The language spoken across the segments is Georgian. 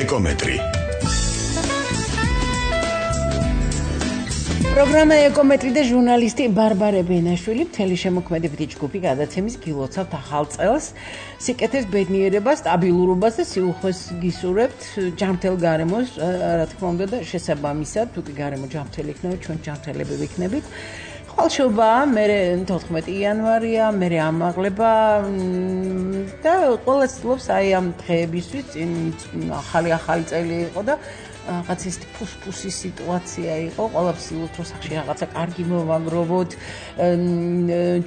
ეკომეტრი. პროგრამა ეკომეტრი და ჟურნალისტი ბარბარე ბენაშვილი მთელი შემოქმედებითი ჯგუფი გადაცემის გილოცავთ ახალ წელს, სიკეთეს, ბედნიერებას, სტაბილურობას და სიუხვეს გისურვებთ ჯანმრთელ გარემოს, რა თქმა უნდა და შესაბამისად, თუ კი გარემო ჯანმრთელი იქნება, ჩვენ ჯანმრთელები ვიქნებით. ხვალშობა, მე 14 იანვარია, მე ამაღლება და ყველა ცდილობს აი ამ დღეებისთვის, ახალი წელი იყო და რაღაც ის ფუსფუსის სიტუაცია იყო, ყველაფერს ცდილობთ რომ სახში რაღაცა კარგი მოვაგროვოთ,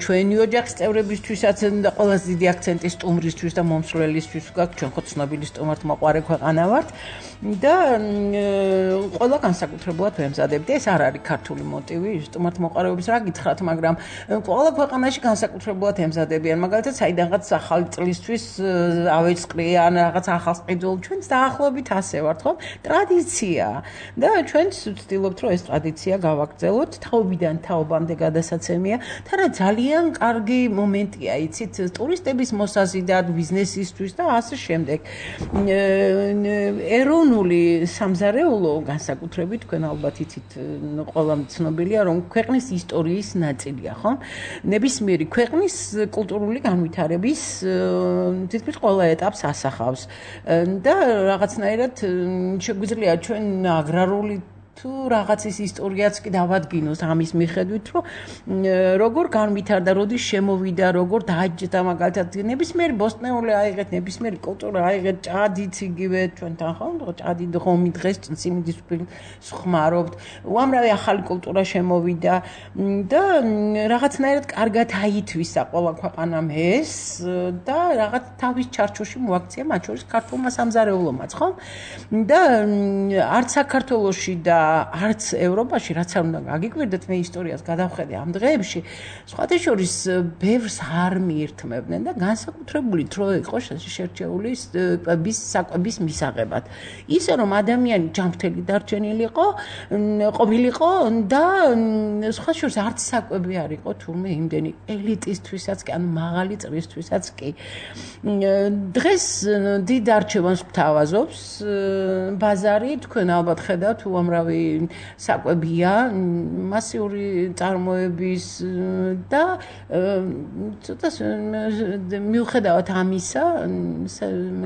ჩვენი ოჯახის წევრებისთვისაც და ყველაზე დიდი აქცენტი სტუმრისთვის და მომსვლელისთვის გაქვს, ჩვენ ხო ცნობილი სტუმართმოყვარე ქვეყანა ვართ და ყველა განსაკუთრებულად ვემზადებთ. ეს არ არის ქართული მოტივი სტუმართმოყვარეობის, რა გითხრათ, მაგრამ ყველა ქვეყანაში განსაკუთრებულად ემზადებიან, მაგალითად, საიდანღაც ახალი წლისთვის ავეწყრიან რაღაც ახალ ყიდულს, ჩვენც დაახლოებით ასე ვართ, ხო? ტრადიცია და ჩვენც ვცდილობთ რომ ეს ტრადიცია გავაგრძელოთ თაობიდან თაობამდე გადასაცემია და რა ძალიან კარგი მომენტია იცით ტურისტების მოსაზიდად ბიზნესისთვის და ასე შემდეგ ეროვნული სამზარეულო განსაკუთრებით თქვენ ალბათ იცით ყველამ ცნობილია რომ ქვეყნის ისტორიის ნაწილია ხო ნებისმიერი ქვეყნის კულტურული განვითარების თითქმის ყველა ეტაპს ასახავს და რაღაცნაირად შეგვიძლია ჩვენ აგრარული თუ რაღაცის ისტორიაც კი დავადგინოს ამის მიხედვით, რომ როგორ განვითარდა, როდის შემოვიდა, როგორ დააჯდა მაგალითად ნებისმიერი ბოსტნეული აიღეთ, ნებისმიერი კულტურა აიღეთ, ჭადიც იგივე ჩვენთან ხო, ჭადი ღომი დღეს სიმინდის ხმარობთ, უამრავი ახალი კულტურა შემოვიდა და რაღაცნაირად კარგად აითვისა ყველა ქვეყანამ ეს და რაღაც თავის ჩარჩოში მოაქცია მათ შორის ქართულმა სამზარეულომაც, ხო? და არც საქართველოში და არც ევროპაში რაც არ უნდა გაგიკვირდეთ მე ისტორიას გადავხედე ამ დღეებში სხვათა შორის ბევრს არ მიირთმევდნენ და განსაკუთრებული დრო იყო შერჩეული საკვების მისაღებად ისე რომ ადამიანი ჯანმრთელი დარჩენილიყო ყოფილიყო და სხვათა შორის არც საკვები არ იყო თურმე იმდენი ელიტისთვისაც კი ანუ მაღალი წრისთვისაც კი დღეს დიდ არჩევანს გვთავაზობს ბაზარი თქვენ ალბათ ხედავთ უამრავი საკვებია მასიური წარმოების და ცოტა მიუხედავად ამისა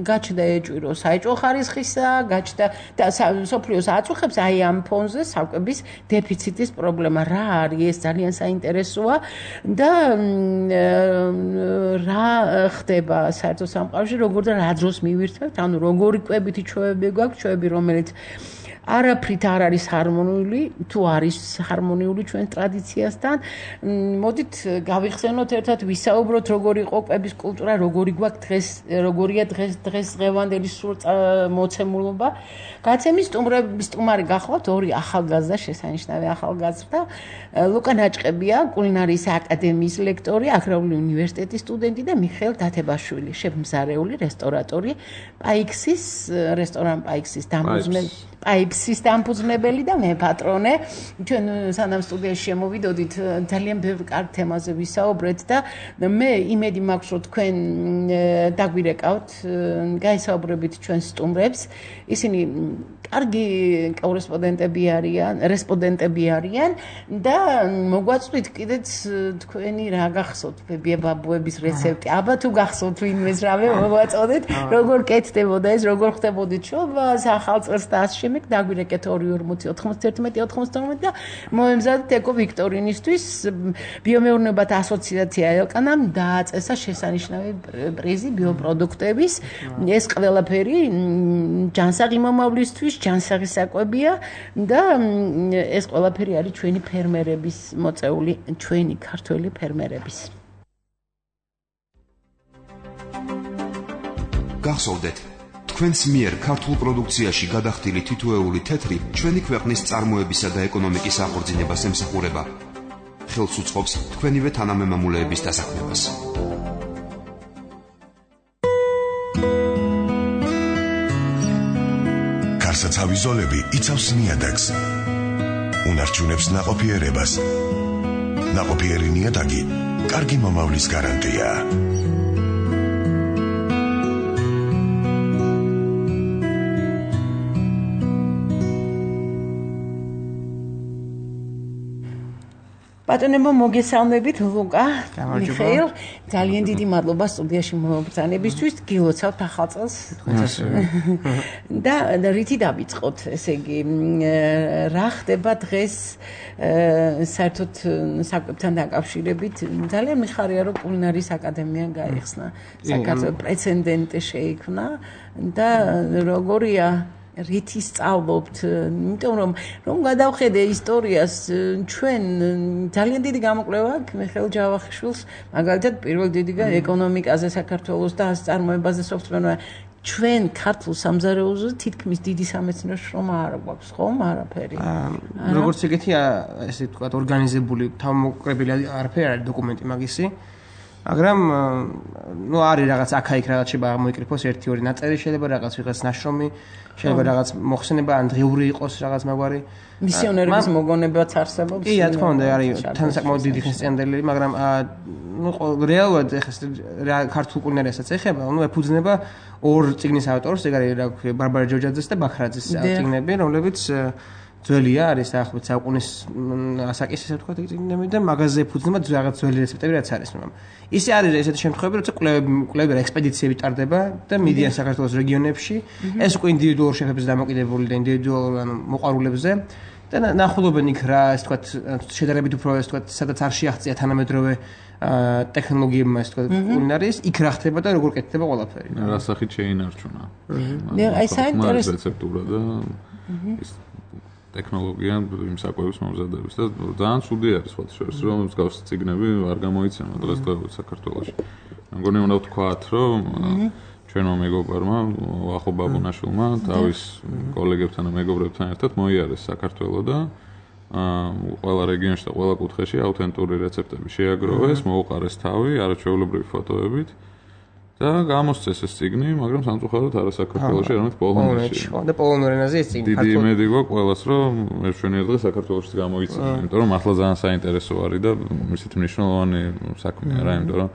გაჩნდა ეჭვი საეჭვო ხარისხისა გაჩნდა და სოფლიოს აწუხებს აი ამ ფონზე საკვების დეფიციტის პრობლემა რა არის ეს ძალიან საინტერესოა და რა ხდება საერთო სამყაროში როგორ და რა დროს მივირთმევთ ანუ როგორი კვებითი ჩვევები გვაქვს ჩვევები რომელიც არაფრით არ არის ჰარმონიული, თუ არის ჰარმონიული ჩვენ ტრადიციასთან. მოდით გავიხსენოთ ერთად ვისაუბროთ როგორი იყო კვების კულტურა, როგორი გვაქვს დღეს, როგორია დღესდღევანდელი სრულ მოცემულობა. გაცემის სტუმარი გახლავთ ორი ახალგაზრდა შესანიშნავი ახალგაზრდა. ლუკა ნაჭყებია, კულინარიის აკადემიის ლექტორი, აგრარული უნივერსიტეტის სტუდენტი და მიხეილ დათებაშვილი, შეფმზარეული, რესტორატორი, პაიქსის რესტორან პაიქსის პაიფსის დამფუძნებელი და მე პატრონე. ჩვენ სანამ სტუდიაში შემოვიდოდით, ძალიან ბევრ კარგ თემაზე ვისაუბრეთ და მე იმედი მაქვს, რომ თქვენ დაგვირეკავთ, გაისაუბრებით ჩვენ სტუმრებს. ისინი კარგი რესპონდენტები არიან და მოგვაწვით კიდეც თქვენი რა გახსოვთ ბაბუების რეცეპტი. აბა თუ გახსოვთ ვინმეს რამე მოგვაწოდეთ, როგორ კეთდებოდა ეს, როგორ ხდებოდით შობას ახალ წელს და ასე შემდეგ დაგვირეკეთ 240-91-92 და მოემზადეთ ეკო ვიქტორინისთვის ბიომეურნეობათა ასოციაცია ელკანამ დააწესა შესანიშნავი პრიზი ბიოპროდუქტების ეს ყველაფერი ჯანსაღი მომავლისთვის ჯანსაღი საკვებია და ეს ყველაფერი არის ჩვენი ფერმერების მოწეული ჩვენი ქართველი ფერმერების გახსოვდეთ თქვენს მიერ ქართულ პროდუქციაში გადახდილი თითოეული თეთრი ჩვენი ქვეყნის წარმოებისა და ეკონომიკის აღორძინებას ემსახურება. ხელს უწყობს თქვენივე თანამემამულეების დასაქმებას. გარსაცავი ზოლები იცავს ნიადაგს. უნარჩუნებს ნაყოფიერებას. ნაყოფიერი ნიადაგი კარგი მომავლის გარანტია. ბატონებო მოგესალმებით ლუკა მიხეილ ძალიან დიდი მადლობა სტუდიაში მომბრძანებისთვის გილოცავთ ახალ წელს და რითი დავიწყოთ ესე იგი რა ხდება დღეს საერთოდ საკვებთან დაკავშირებით ძალიან მიხარია რომ კულინარიის აკადემია გაიხსნა საქართველოს პრეცედენტი შეიქმნა და როგორია რითი სწავლობთ, იმიტომ რომ გადავხედე ისტორიას, ჩვენ ძალიან დიდი გამოკვლევა აქვს მიხეილ ჯავახიშვილს, მაგალითად პირველ დიდი ეკონომიკაზე საქართველოს და წარმოებაზე სოფტვერმა ჩვენ ქართულ სამზარეულოზე თითქმის დიდი სამეცნიერო შრომა არ გვაქვს, ხომ? არაფერი. როგორც ეგეთი ესე ვთქვათ, ორგანიზებული თავმოყრებილი არაფერი არის დოკუმენტი მაგისი. მაგრამ ნუ არის რაღაც აქა-იქ რაღაც შეიძლება მოიკრიფოს 1-2 ნაწერი შეიძლება რაღაც ვიღაც ნაშრომი შეიძლება რაღაც მოხსენება ან დღიური იყოს რაღაც მაგვარი მისიონერების მოგონებაც არსებობს კი რა თქმა უნდა არის თან საკმაოდ დიდი ხსენდელი მაგრამ ნუ რეალურად ეხლა ქართულ კულინარიასაც ეხება ნუ ეფუძნება ორ წიგნის ავტორს ეგ არის რა ქვია ბარბარა ჯოჯაძეს და ბაქრაძის წიგნები რომლებიც ძველია არის დაახლოებით საუკუნის ასაკის ესე ვთქვათ წიგნები და მაღაზიაზე ეფუძნება რაღაც ძველი რეცეპტები რაც არის მაგრამ ისე არის ესეთი შემთხვევები როცა კვლევები და ექსპედიციები ტარდება და მიდიან საქართველოს რეგიონებში ეს უკვე ინდივიდუალურ შეფებზე დამოკიდებული და ინდივიდუალურ მოყვარულებზე და ნახულობენ იქ რა ესე ვთქვათ შედარებით უფრო ესე ვთქვათ სადაც არ შეაღწია თანამედროვე ტექნოლოგიებმა ესე ვთქვათ კულინარიის იქ რა ხდება და როგორ კეთდება ყველაფერი რა სახით შეინარჩუნა აი საინტერესო რეცეპტურა და ტექნოლოგია იმ საკვების მომზადების და ძალიან ცუდი არის სხვა შორის რომ მსგავსი ციგნები არ გამოიცემა დღესდღეობით საქართველოში. მეგონი უნდა ვთქვათ რომ ჩვენმა მეგობრებმა ვახო ბაბუნაშვილმა თავის კოლეგებთან და მეგობრებთან ერთად მოიარეს საქართველო და ყველა რეგიონში და ყველა კუთხეში აუთენტური რეცეპტები შეაგროვეს, მოუყარეს თავი არაჩვეულებრივი ფოტოებით. და გამოსცეს ეს ციგნი, მაგრამ სამწუხაროდ არა საქართველოში, არამედ პოლონეთში. და პოლონურ ენაზე ეს ციგნი. დიდი იმედი გვაქვს ყველას, რომ ერთვენიერ დღეს საქართველოშიც გამოიწვია, იმიტომ რომ ახლა ძალიან საინტერესო არის და ისეთ მნიშვნელოვანი საქმეა რა, იმიტომ რომ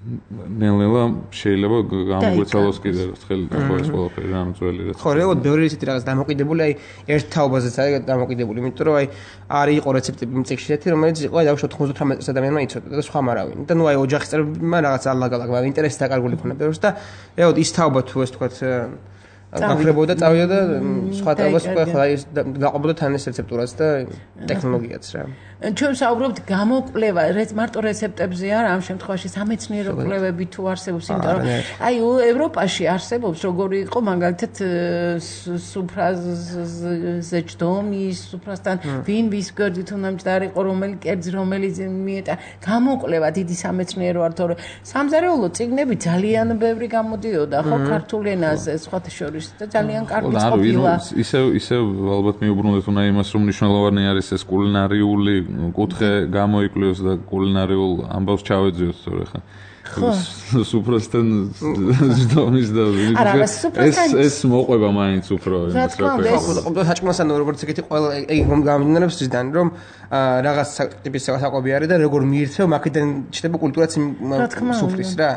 ნელ-ნელა შეიძლება გამოგვეცალოს კიდე ხელი და ეს ყველაფერი რამ ძველი რაც. ხო, რეალურად ბევრი ისეთი რაღაც დამოკიდებული, აი ერთ თაობაზეც არის დამოკიდებული, იმიტომ რომ აი არის იყო რეცეპტები მიწებში ისეთი, რომელიც იყო აი დაუშვათ 98 ადამიანმა იცოდა და სხვა მარავინ. და ნუ აი ოჯახის წევრებმა რაღაც ალაგ-ალაგ, მაგრამ ინტერესი დაკარგული ქონა ბევრს და რეალურად ის თაობა თუ ეს თქვათ გაქრებოდა და წავიდა და სხვა თაობას უკვე ხო აი გაყობოდა თან ეს რეცეპტურაც და ტექნოლოგიაც რა. ჩვენ საუბრობთ გამოკვლევა, მარტო რეცეპტებზე არა, ამ შემთხვევაში სამეცნიერო კვლევები თუ არსებობს, იმიტომ რომ აი ევროპაში არსებობს როგორი იყო მაგალითად სუფრაზე ჯდომი, სუფრასთან ვინ ვის გვერდით უნდა მჭდარიყო, რომელი კერძი, რომელი მიეტა, გამოკვლევა დიდი სამეცნიერო არ თორე სამზარეულო წიგნები ძალიან ბევრი გამოდიოდა, ხო, ქართულ ენაზე, სხვათა შორის და ძალიან კარგი ყოფილა. ისევ ალბათ მიუბრუნდეთ უნდა იმას, რომ მნიშვნელოვანი არის ეს კულინარიული კუთხე გამოიკვლიოს და კულინარიულ ამბავს ჩავეძიოთ თორე ხა სუფრასთან ჯდომის და ეს მოყვება მაინც უფრო იმას რა ქვია საჭმელთან როგორც ეგეთი ყველა ეგ გამიმდინარეობს ისიდან რომ რაღაც ტიპის საკვები არის და როგორ მიირთმევ მაგიდან ჩდება კულტურაც სუფრის რა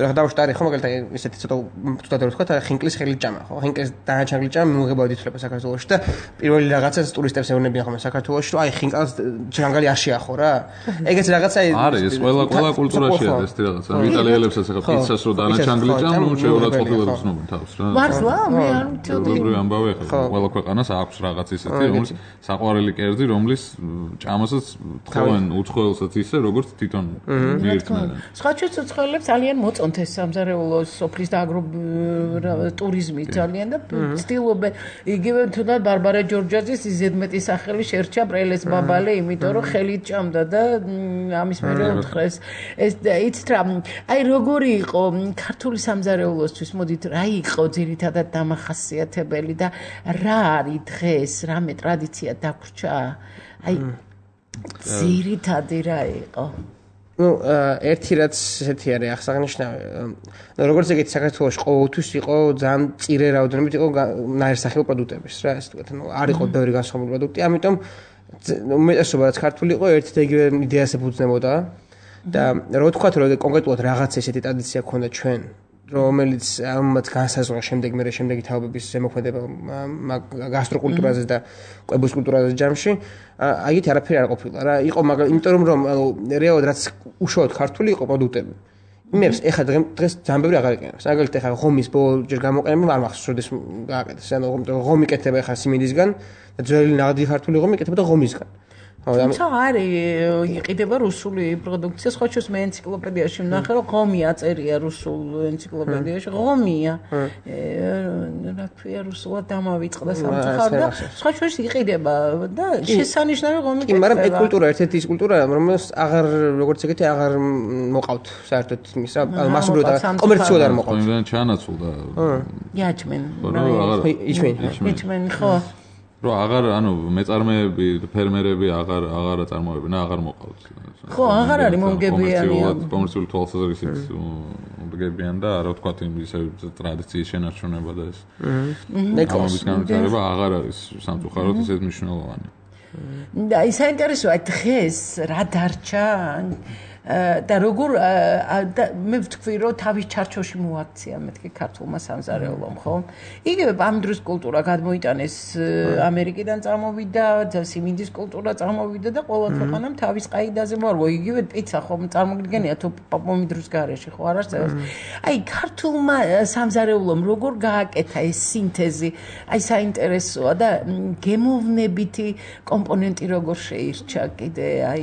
და დავშტარი ხო მაგალითად ისეთი ცოტა თუდად რო ვთქვა ხინკლის ხელიჭამა ხო ხინკლის დანაჩანგლი ჭამა მიუღებავად ითვლება საქართველოში და პირველი რაღაცა ტურისტებს ეუბნებიან ხოლმე საქართველოში რომ აი ხინკალს ჯანგალი არ შეახო რა ეგეც რაღაცა არის ეს ყველა კულტურაში არის ეს რაღაცა იტალიელებსაც ახლა პიცას რო დანაჩანგლი ჭამა შეურაცხ ყოფილებს ცნობენ თავს რა მართლა მე არ მწოდები როგორი ამბავი ახლა ყველა ქვეყანას აქვს რაღაც ისეთი რომელიც საყვარელი კერძი რომლის ჭამასაც თხოვენ უცხოელსაც ისე როგორც თვითონ მიირთმევენ სხვა ცოცხლებს ძალიან მოწონთ ეს სამზარეულო სოფლის და აგროტურიზმი ძალიან და ცდილობენ იგივე თუნდაც ბარბარა ჯორჯაძის ზედმეტი სახელი შერჩა ბრელეს ბაბალე იმიტომ რომ ხელით ჭამდა და ამის მერე უთხრეს ეს იცით რა აი როგორი იყო ქართული სამზარეულოსთვის მოდით რა იყო ძირითადად დამახასიათებელი და რა არის დღეს რამე ტრადიცია დაგვრჩა აი ძირითადი რა იყო ну ერთი რაც ესეთი არის აღსანიშნავი როგორც ეგეთი საქართველოს ყოველთვის იყო ძალიან წირე რაოდენობით იყო ნაირსახეო პროდუქტების რა ესე ვთქვათ ну არ იყო ბევრი განსხვავებული პროდუქტი ამიტომ უმეტესობა რაც ქართული იყო ერთ და იგივე იდეას ეფუძნებოდა და რო ვთქვათ რომ კონკრეტულად რაღაც ესეთი ტრადიცია ქონდა ჩვენ რომელიც ამათ განსაზღვრა შემდეგი თაობების ზემოქმედება გასტროკულტურაზე და კვების კულტურაზე ჯამში აიგეთ არაფერი არ ყოფილა რა იყო მაგრამ იმიტომ რომ რეალურად რაც უშუალოდ ქართული იყო პროდუქტები იმებს ეხლა დღეს ძალიან ბევრი აღარ იყენებს მაგალითად ეხლა ღომის ბოლო ჯერ გამოყენება არ მახსოვს როდის გააკეთეს ანუ ღომი კეთდება ეხლა სიმინდისგან და ძველი ნაღდი ქართული ღომი კეთდება ღომისგან თუმცა არის იყიდება რუსული პროდუქცია სხვა შეს მე ენციკლოპედიაში ვნახე რომ ღომი აწერია რუსულ ენციკლოპედიაში ღომია რა ქვია რუსულად დამავიწყდა სამწუხაროდ და სხვა შეს იყიდება და შესანიშნავი ღომი კეთდება მაგრამ ეს კულტურა ერთ-ერთი ის კულტურაა რომელს აღარ როგორც ეგეთი აღარ მოყავთ საერთოდ იმის რა მასურად და კომერციულად არ მოყავთ იმდან ჩანაცვლდა იაჩმენ იაჩმენ ხო რო აღარ ანუ მეწარმეები ფერმერები აღარ წარმოებენ აღარ მოყავთ ხო აღარ არის მომგებიანი კომერციული თვალსაზრისით მომგებიან და რა ვთქვათ იმის ტრადიციის შენარჩუნება და ეს ამის განვითარება აღარ არის სამწუხაროდ ისეთ მნიშვნელოვანი და ის საინტერესოა დღეს რა დარჩა და როგორ მე ვთქვი რომ თავის ჩარჩოში მოაქცია მეთქი ქართულმა სამზარეულომ ხო იგივე ამ დროს კულტურა გადმოიტანეს ამერიკიდან წამოვიდა და სიმინდის კულტურა წამოვიდა და ყველა ქვეყანამ თავის ყაიდაზე მოარგო იგივე პიცა ხო წარმოგიდგენია თუ პოპომიდროს გარეშე ხო არ არსებობს აი ქართულმა სამზარეულომ როგორ გააკეთა ეს სინთეზი აი საინტერესოა და გემოვნებითი კომპონენტი როგორ შეირჩა კიდე აი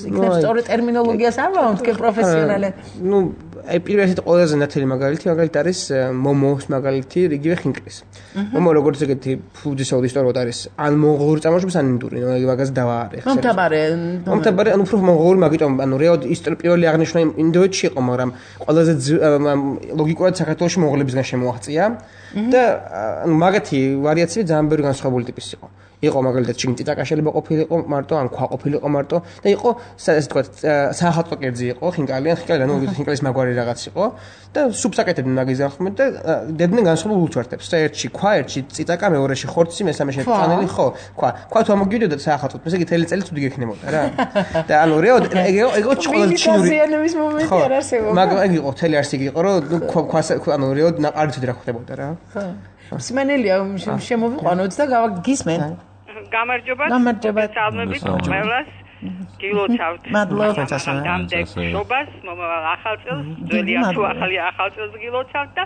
იქნებ ტერმინოლოგიას არ ვამთქე პროფესიონალად. ნუ აი პირველად ყველაზე ნათელი მაგალითი არის მომოს მაგალითი იგივე ხინკლის. მომო როგორც ეგეთი ფუძისაუდი ისტორიულად არის ან მონღოლური წარმოშობის ან ინდური, მაგას დავაარეხ. მომთაბარე ანუ უფრო მონღოლური მაგიტომ ანუ რეალურად ისტორია პირველი აღნიშნა ინდოეთში იყო, მაგრამ ყველაზე ლოგიკურად საქართველოში მონღოლებისგან შემოაღწია და ანუ მაგათი ვარიაციები ძალიან ბევრი განსხვავებული ტიპის იყო. იყო მაგალითად ჩინტიტაკა შეიძლება ყოფილიყო მარტო ან ქვა ყოფილიყო მარტო და იყო ესე თქვა საახალწლო კერძი იყო ხინკალი ანუ ხინკალის მაგვარი რაღაც იყო და სუპს აკეთებდნენ მაგის ახმედ და დებდნენ განსხვავებულ ულთვართებს და ერთში ქვა ერთში წიტაკა მეორეში ხორცი მესამეში წანელი ხო ქვა თუ ამოგიდოდა საახალწლოდ ესე იგი თელი წელი თუ გიქნებოდა რა და ანუ რეალ ეგო ჩყოლად ჩინური ზიანების მომენტი არ არსებობდა მაგრამ ეგ იყო თელი არსი იყო რომ ქვა ანუ რეალ არც რა ხდებოდა რა ხო მსმენელია შემოვიყვანოთ და გავაგისმენ გამარჯობა სალმებით ყველას გილოცავთ დამდეგშობას მომავალ ახალწელს ძველია თუ ახალი ახალწელს გილოცავთ და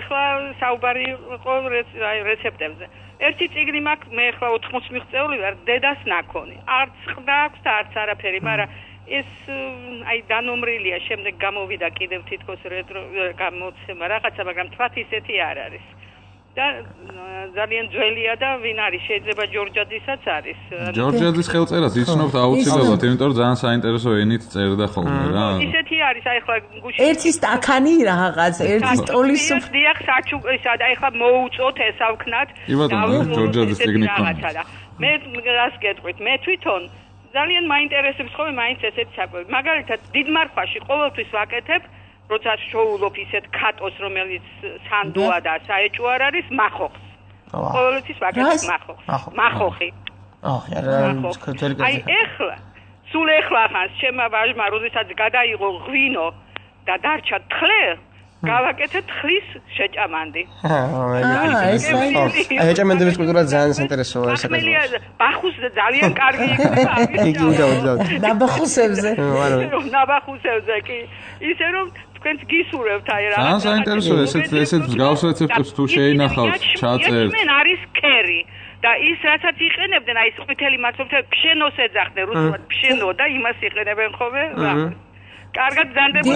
ეხლა საუბარი იყო რეცეპტებზე ერთი წიგნი მაქვს მე ეხლა 80 მიღწეული ვარ დედას ნაქონი არც ყდა აქვს და არც არაფერი მაგრამ ეს აი დანომრილია შემდეგ გამოვიდა კიდევ თითქოს რეტრო გამოცემა რაღაცა მაგრამ თქვათ ისეთი არ არის და ძალიან ძველია და ვინ არის შეიძლება ჯორჯაძისაც არის ჯორჯაძის ხელწერას იცნობთ აუცილებლად იმიტომ რომ ძალიან საინტერესო ენით წერდა ხოლმე რა ისეთი არის აი ხლა გუში ერთი სტაკანი რაღაც ერთი სტოლის დიახ საჩუქრისა და აი ხლა მოუწოთ ესავქნათ და ჯორჯაძის ტექნიკა რაღაცა მე რას გეტყვით მე თვითონ ძალიან მაინტერესებს ხოლმე მაინც ესეთი საკვები მაგალითად დიდმარხვაში ყოველთვის ვაკეთებ როცა შოულობ ისეთ ქატოს რომელიც სანდოა და საეჭვო არ არის მახოხს ყოველთვის ვაკეთებ მახოხი აი ეხლა სულ ეხლა ხანს ჩემმა ვაჟმა როდესაც გადაიღო ღვინო და დარჩა თხლე გავაკეთე თხლის შეჭამანდი აი შეჭამანდების კულტურა ძალიან საინტერესოა საკითხი ბახუს ძალიან კარგი იქნება ნაბახუსებზე ნაბახუსებზე კი ისე რომ თქვენს გისურვებთ აი რა ძალიან საინტერესოა ესეთ მსგავს რეცეპტებს თუ შეინახავთ ჩაწერთ მენ არის კერი და ის რასაც იყენებდნენ აი ეს ყვითელი მაცობთე ფშენოს ეძახდნენ რუსულად ფშენო და იმას იყენებენ ხოლმე რა კარგად ძანდება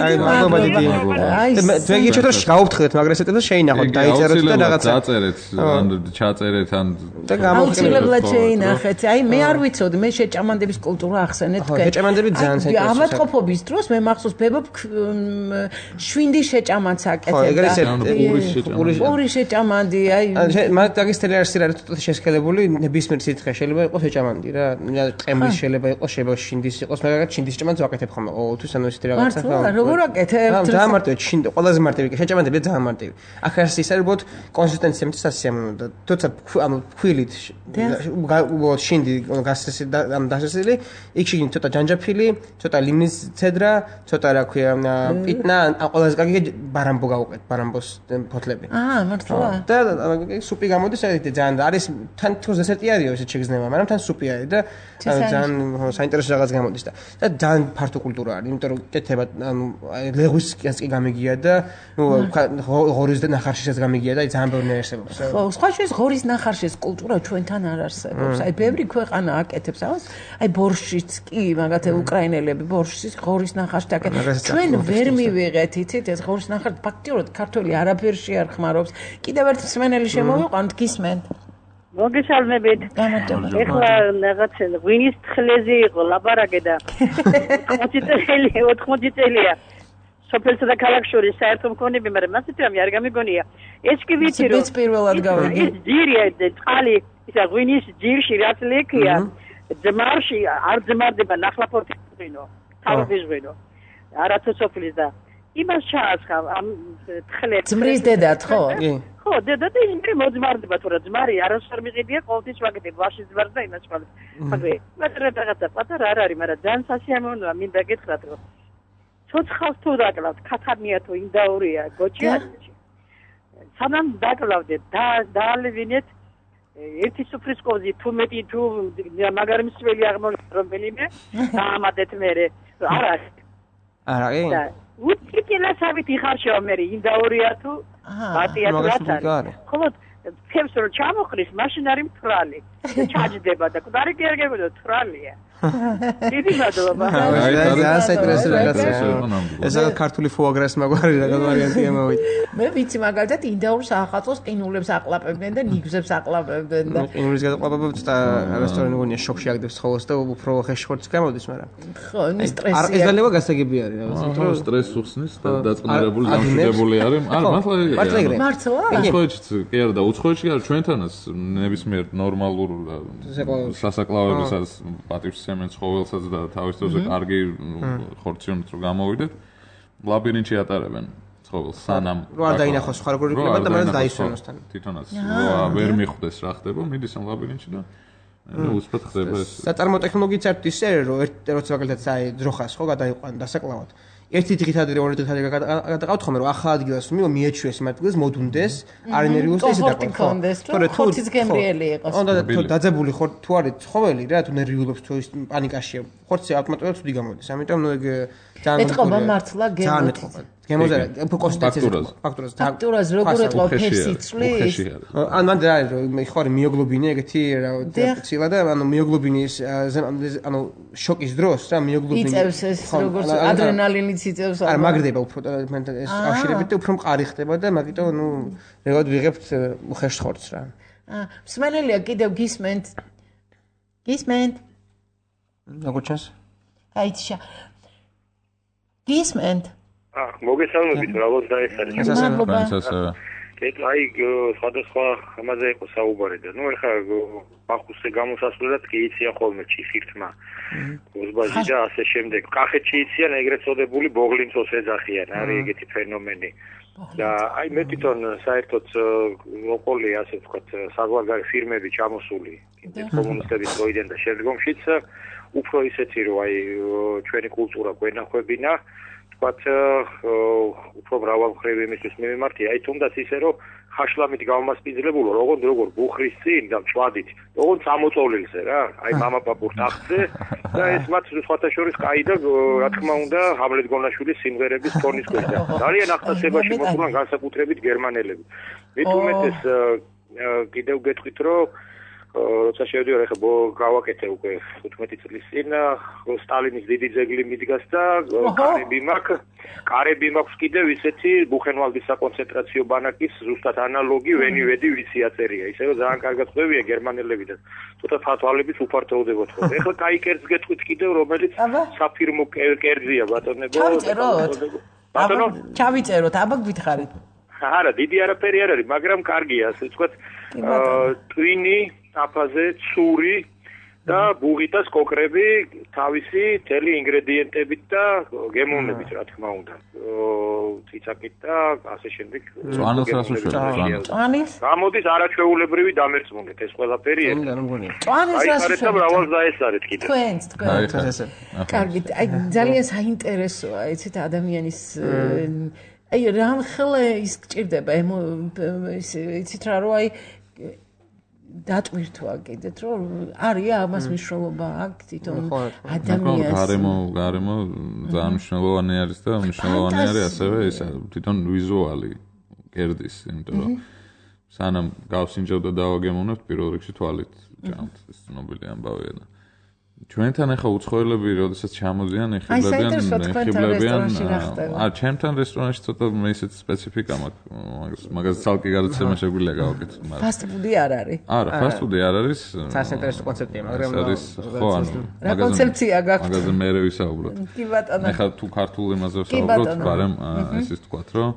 აი ძეგიჩოთ რომ გავუფრთხილეთ მაგრამ ესეთებს შეინახოთ დაიწეროთ და რაღაცა დაწერეთ ან ჩაწერეთ ან და გამოვხილებლად შეინახეთ აი მე არ ვიცოდი მე შეჭამანდების კულტურა ახსენეთ თქვენ შეჭამანდები ძალიან საინტერესოა ავადყოფობის დროს მე მახსოვს ბებობ შვინდი შეჭამანც აკეთებდა პური შეჭამანდი აი მაგ დაგისტელი არის რა თვითონ შესქელებული ნებისმიერ სითხე შეიძლება იყოს შეჭამანდი რა ყემლის შეიძლება იყოს შეიძლება შინდის იყოს მაგრამ შინდის შეჭამანს ვაკეთებ ხოლმე ოთვის ანუ ეს ვაკეთებთ რაღაცა. მართლა, როგორ ვაკეთებთ? ძალიან მარტივი, ყველაზე მარტივი, შეჭამადები ძალიან მარტივი. აქ არის ის არის, კონსისტენცია მეტი სასიამოვნო და თორსა ფქვილით უბრალოდ შინდი გასასილი, იქ შიგნით ცოტა ჯანჯაფილი, ცოტა ლიმინის ცედრა, ცოტა რა ქვია, პიტნა, ყველაზე კარგი ბარამბო გავუყეთ, ბარამბოს ფოთლები. მართლა. და სუპი გამოდის, ძალიან არის თან თქოს დესერტი არის ისე შეგრძნება, მაგრამ თან სუპი არის და ძალიან საინტერესო რაღაც გამოდის და ძალიან ფართო კულტურა არის, იმიტომ რომ კეთება ლეღვის კი გამიგია და ღორის და ნახარშისაც გამიგია და ძალიან ბევრი არსებობს. ხო, სხვა შეს ღორის ნახარშის კულტურა ჩვენთან არ არსებობს. აი ბევრი ქვეყანა აკეთებს ამას. აი ბორშიც კი, მაგათი უკრაინელები ბორშის ღორის ნახარში აკეთებს. ჩვენ ვერ მივიღეთ, იცით, ეს ღორის ნახარში ფაქტიურად ქართველი არაფერში არ ხმარობს. კიდევ ერთი მსმენელი შემოვიყვანთ, გისმენთ. მოგესალმებით. ეხლა რაღაცა ღვინის თხლეზე იყო ლაპარაკი და 80 წელია. სოფელსა და ქალაქ შორის საერთო მქონები, მაგრამ მასეთი რამე არ გამიგონია. ეს კი ვიცი რომ ეს პირველად გავიგე. ეს ძირია, წყალი, ისა ღვინის ძირში რაც ლექია, ძმარში არ ძმარდება ნახლაფორთის ღვინო, თავის ღვინო. არათუ სოფლის და იმას ჩაასხა ამ თხლებს. ძმრის დედათ, ხო? კი. ხო, დედა და იმრი მოძმარდება, თუ რა ძმარი არასწორ მიყიდია, ყოველთვის ვაკეთებ ვაში ძმარს და იმას ხვალ. მაგრამ რაღაცა პატარა არ არის, მაგრამ ძალიან სასიამოვნოა, მინდა გითხრათ რომ ცოცხალს თუ დაკლავთ, ქათამია თუ ინდაურია, გოჩია. სანამ დაკლავდეთ, დაალევინეთ ერთი სუფრის კოზი, თუ მეტი თუ მაგარი მსველი აღმოჩნდა რომელიმე, დაამატეთ მერე. არა. არა, კი. უტკილასავით იხარშევა მე ინდაურია თუ ბატია თუ რაც არის. ხოლო ფებს რო ჩამოხრის, მაშინ არის მთრალი. ჩაჯდება და კუდარი კი არ გეგმოდა მთრალია. დიდი მადლობა. ძალიან საინტერესო რაღაცაა. ეს ქართული ფუაგრას მაგვარი რაღაც ვარიანტია მოვიდა. მე ვიცი მაგალითად ინდაურ საახალწლოს ყინულებს აყლაპებდნენ და ნიგზებს აყლაპებდნენ და ყინულის გადაყლაპებებს და რესტორანი გონია შოქში აგდებს ხოლოს და უფრო ხეშხორც გამოდის, მაგრამ ხო, ის სტრესი. ეს ძალევა გასაგები არის რაღაც. იმიტომ რომ სტრესს უხსნის და დაწყნარებული დამშვიდებული არის. არა, მართლა მართლა? უცხოეთშიც კი არა და უცხოეთში არა ჩვენთანაც ნებისმიერ ნორმალურ სასაკლავებასაც პატივს სცემენ ცხოველსაც და თავის დროზე კარგი ხორციონით რო გამოვიდეთ ლაბირინთში ატარებენ ცხოველს სანამ რო არ დაინახოს სხვა როგორი იქნება და მაგრამ დაისვენოს თან თვითონაც ვერ მიხვდეს რა ხდება მიდის ამ ლაბირინთში და უცბად ხდება ეს საწარმო ტექნოლოგიით საერთოდ ისე რომ როცა მაგალითად აი ძროხას ხო გადაიყვან დასაკლავად ერთი დღით ადრე ორი დღით ადრე გადაყავთ ხომ რომ ახალ ადგილას მიეჩვიეს იმ ადგილას მოდუნდეს არ ენერგიულს და ისე დაკონდეს რომ ხორციც გემრიელი იყოს უნდა დაძაბული ხორ თუ არის ცხოველი რა თუ ნერვიულობს თუ ის პანიკაშია ხორცი ავტომატურად ცუდი გამოდის ამიტომ ნუ ეგ ძალიან ეთყობა მართლა გემოზე უფრო კონსტიტუციაზე ფაქტურას როგორ ეთყობა ფერსი წვლის ან მანდ რა ხო არის მიოგლობინი ეგეთი რა ცილა და ანუ მიოგლობინის ანუ შოკის დროს რა მიოგლობინი იწევს ეს როგორც ადრენალინიც იწევს არა მაგრდება უფრო ეს აშირებით და უფრო მყარი ხდება და მაგიტო ნუ რეგოდ ვიღებთ უხეშ ხორცს რა მსმენელია კიდევ გისმენთ როგორ ჩანს აიჩა გისმენთ მოგესალმებით რა ეს მადლობა აი სხვადასხვა ამაზე იყო საუბარი და ნუ ეხლა ბახუსზე გამოსასვლელად კი იციან ხოლმე ჩიხირთმა გოზბაჟი და ასე შემდეგ კახეთში იციან ეგრეთ წოდებული ბოღლინცოს ეძახიან არის ეგეთი ფენომენი და აი მე თვითონ საერთოდ როკოლი ასე ვთქვათ საზღვარგარეთ ფირმები ჩამოსული კომუნისტების დროიდან და შემდგომშიც უფრო ისეთი რომ აი ჩვენი კულტურა გვენახებინა ვთქვათ უფრო მრავალმხრივი იმისთვის მიმართია აი თუნდაც ისე რომ ხაშლამით გამასპინძლებულო როგორ ბუხრის წინ და მწვადით როგორც ამოწოლილზე რა აი მამაპაპურ ტახტზე და ეს მათ სხვათა შორის კაი და რა თქმა უნდა ჰამლეთ გონაშვილის სიმღერების ტონის ქვეშ ძალიან ახსენებაში მოსულან განსაკუთრებით გერმანელები მით უმეტეს კიდევ გეტყვით რომ როცა შევდივარ ახლა გავაკეთე უკვე 15 წლის წინ სტალინის დიდი ძეგლი მიდგას და კარები მაქვს კიდევ ისეთი ბუხენვალდის საკონცენტრაციო ბანაკის ზუსტად ანალოგი ვენივედი ვიცი აწერია ისე რომ ძალიან კარგად ხვევია გერმანელები და ცოტა თვალებით უფართოვდებოდ ხო ეხლა კაი კერძს გეტყვით კიდევ რომელიც საფირმო კერძია ბატონებო ბატონო ჩავიწეროთ აბა გითხარით არა დიდი არაფერი არ არის მაგრამ კარგია ასე ვთქვათ ტვინი აფაზე, ცური და ბუღიტას კოკრები თავისი თელი ინგრედიენტებით და გემოვნებით რა თქმა უნდა. ციცაკით და ასე შემდეგ. წვანილს რას უშვებთ? წვანის? გამოდის არაჩვეულებრივი დამერწმუნდეთ ეს ყველაფერი. წვანის რას უშვებთ? და მრავალ დაესარეთ კიდე. თქვენც. კარგით, აი ძალიან საინტერესოა, იცით ადამიანის აი რამხელა ის გჭირდება იცით რა რომ აი დატვირთვა კიდეთ რომ არის ამას მნიშვნელობა აქვს თვითონ ადამიანს გარემო ძალიან მნიშვნელოვანი არის და მნიშვნელოვანი არის ასევე ის თვითონ ვიზუალი კერდის იმიტომ რომ სანამ გავსინჯავ და დავაგემოვნებთ პირველ რიგში თვალით ჭამთ ეს ცნობილი ამბავია და ჩვენთან ახლა უცხოელები როდესაც ჩამოდიან ეხებლებიან ჩემთან რესტორანში ცოტა მე ისეთ სპეციფიკა მაქვს მაგას ცალკე გადაცემა შეგვიძლია გავაკეთოთ მაგრამ ფასტფუდი არ არის არა ფასტფუდი არ არის საინტერესო კონცეფტია მაგრამ ხო ანუ რა კონცეფცია გაქვთ მაგაზე მე ვისაუბროთ კი ბატონო ახლა თუ ქართულ იმაზე ვსაუბრობთ მაგრამ ისიც თქვათ რომ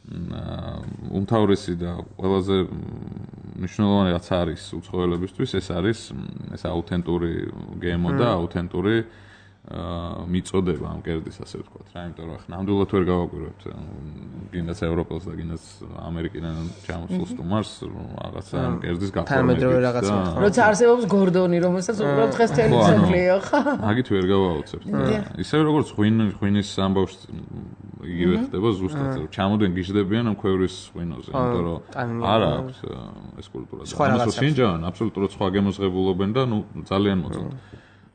უმთავრესი და ყველაზე მნიშვნელოვანი რაც არის უცხოელებისთვის ეს არის ეს აუთენტური გემო და აუთენტური მიწოდება ამ კერდის ასე ვთქვათ რა იმიტომ რომ ახლა ნამდვილად ვერ გავაკვირვებთ გინდაც ევროპელს და გინდაც ამერიკიდან ჩამოსულ სტუმარს რაღაცა ამ კერდის გაფორმებით როცა არსებობს გორდონი რომელსაც უბრალოდ დღეს თელი სოფლიო ხო მაგით ვერ გავაოცებთ ისე როგორც ღვინის ამბავში იგივე ხდება ზუსტად ჩამოდენ გიждდებიან ამ ქვევრის ღვინოზე იმიტომ რომ არ აქვს ეს კულტურა ამას სინჯან აბსოლუტურად სხვა გემოზღებულობენ და ნუ ძალიან მოწონთ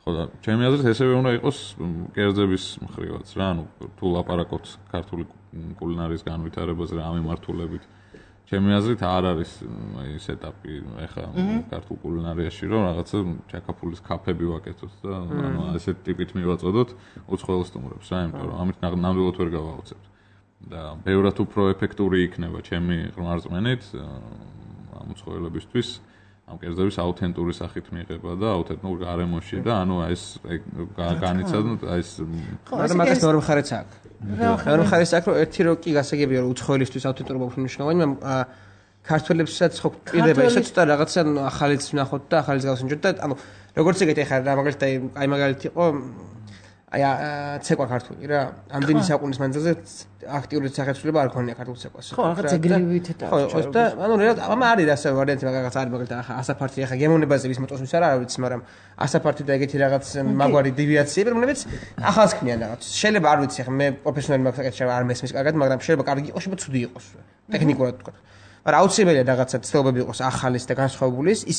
ხო და ჩემი აზრით ესევე უნდა იყოს კერძების მხრივაც რა ანუ თუ ლაპარაკობთ ქართული კულინარიის განვითარებაზე რა ამემართულებით ჩემი აზრით არ არის ეს ეტაპი ეხა ქართულ კულინარიაში რომ რაღაცა ჩაკაფულის კაფეები ვაკეთოთ და ანუ ასეთ ტიპით მივაწოდოთ უცხოელ სტუმრებს რა იმიტომ რომ ამით ნამდვილად ვერ გავაოცებთ და ბევრად უფრო ეფექტური იქნება ჩემი ყმარწმენით ამ უცხოელებისთვის ამ კერძების აუთენტური სახით მიიღება და აუთენტურ გარემოში და ანუ ეს განიცადოთ ეს მაგრამ მაგას მეორე მხარეც აქვს მეორე მხარეც აქვს რომ ერთი რო კი გასაგებია რომ უცხოელისთვის აუთენტურობა უფრო მნიშვნელოვანი მაგრამ ქართველებსაც ხო პირდება ისე ცოტა რაღაცა ახალიც ვნახოთ და ახალიც გავსინჯოთ და ანუ როგორც ეგეთი ახლა რა მაგალითად აი მაგალითად იყო აი ცეკვა ქართული რა ამდენი საუკუნის მანძილზე აქტიური სახეცვლილება არ ქონია ქართულ ცეკვას ხო რაღაც ეგრევით და ხო და ანუ რეალურად ამ არის ასე ვარიანტი რაღაც არის მაგალითად ახლა ასაფართი ახლა გემოვნებაზე ვის მოწონს ვის არ ვიცი მაგრამ ასაფართი და ეგეთი რაღაც მაგვარი დევიაციები რომლებიც ახალს ქმნიან რაღაც შეიძლება არ ვიცი ახლა მე პროფესიონალი მაქვს საკითხი არ მესმის კარგად მაგრამ შეიძლება კარგი იყოს შეიძლება ცუდი იყოს ტექნიკურად თქვა მაგრამ აუცილებელია რაღაცა ცდილობები იყოს ახალის და განსხვავებულის ის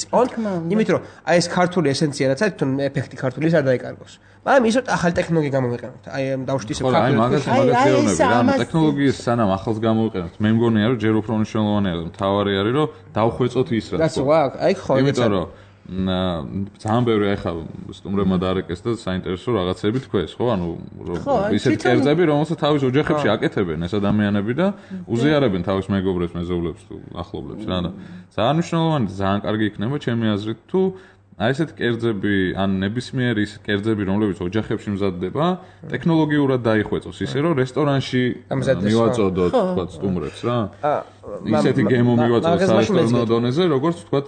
იმით რომ აი ეს ქართული ესენცია რაც არის თვითონ ეფექტი ქართულის არ დაიკარგოს მაგრამ ისოთ ახალი ტექნოლოგია გამოვიყენოთ აი დავშვით ისე აი მაგას გეუბნები რა ტექნოლოგიის სანამ ახალს გამოვიყენოთ მე მგონია რომ ჯერ უფრო მნიშვნელოვანია და მთავარი არის რომ დავხვეწოთ ის რაც აი ხო იმიტომ რომ ძალიან ბევრი ახლა სტუმრებმა დაარეკეს და საინტერესო რაღაცები თქვეს ხო ანუ ისეთ კერძები რომელსაც თავის ოჯახებში აკეთებენ ეს ადამიანები და უზიარებენ თავის მეგობრებს მეზობლებს თუ ახლობლებს რა და ძალიან მნიშვნელოვანი ძალიან კარგი იქნება ჩემი აზრით თუ აი ესეთ კერძები ან ნებისმიერი ის კერძები რომლებიც ოჯახებში მზადდება ტექნოლოგიურად დაიხვეწოს ისე რომ რესტორანში მივაწოდოთ თქვა სტუმრებს რა ისეთი გემო მივაწოდოთ სარესტორნო დონეზე როგორც თქვა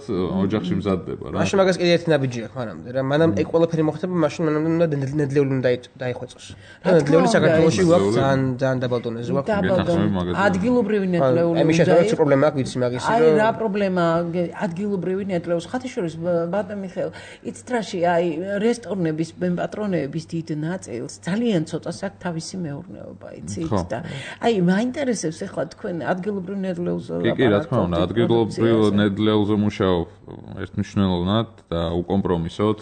ოჯახში მზადდება რა მაშინ მაგას კიდე ერთი ნაბიჯი აქვს მანამდე რა მანამ ეგ ყველაფერი მოხდება მაშინ მანამდე უნდა ნედლეული უნდა დაიხვეწოს ნედლეული საქართველოში გვაქვს ძალიან დაბალ დონეზე გვაქვს ადგილობრივი ნედლეული აი მიშა რა პრობლემა აქვს ვიცი მაგის რომ აი რა პრობლემა ადგილობრივი ნედლეულს ხათაშორის ბატონი მიხეილ იცით რაში აი რესტორნების პატრონების დიდ ნაწილს ძალიან ცოტას აქვს თავისი მეურნეობა იცით და აი მაინტერესებს ახლა თქვენ ადგილობრივ ნედლეულზე კი რა თქმა უნდა ადგილობრივ ნედლეულზე მუშაობ ერთმნიშვნელოვნად და უკომპრომისოდ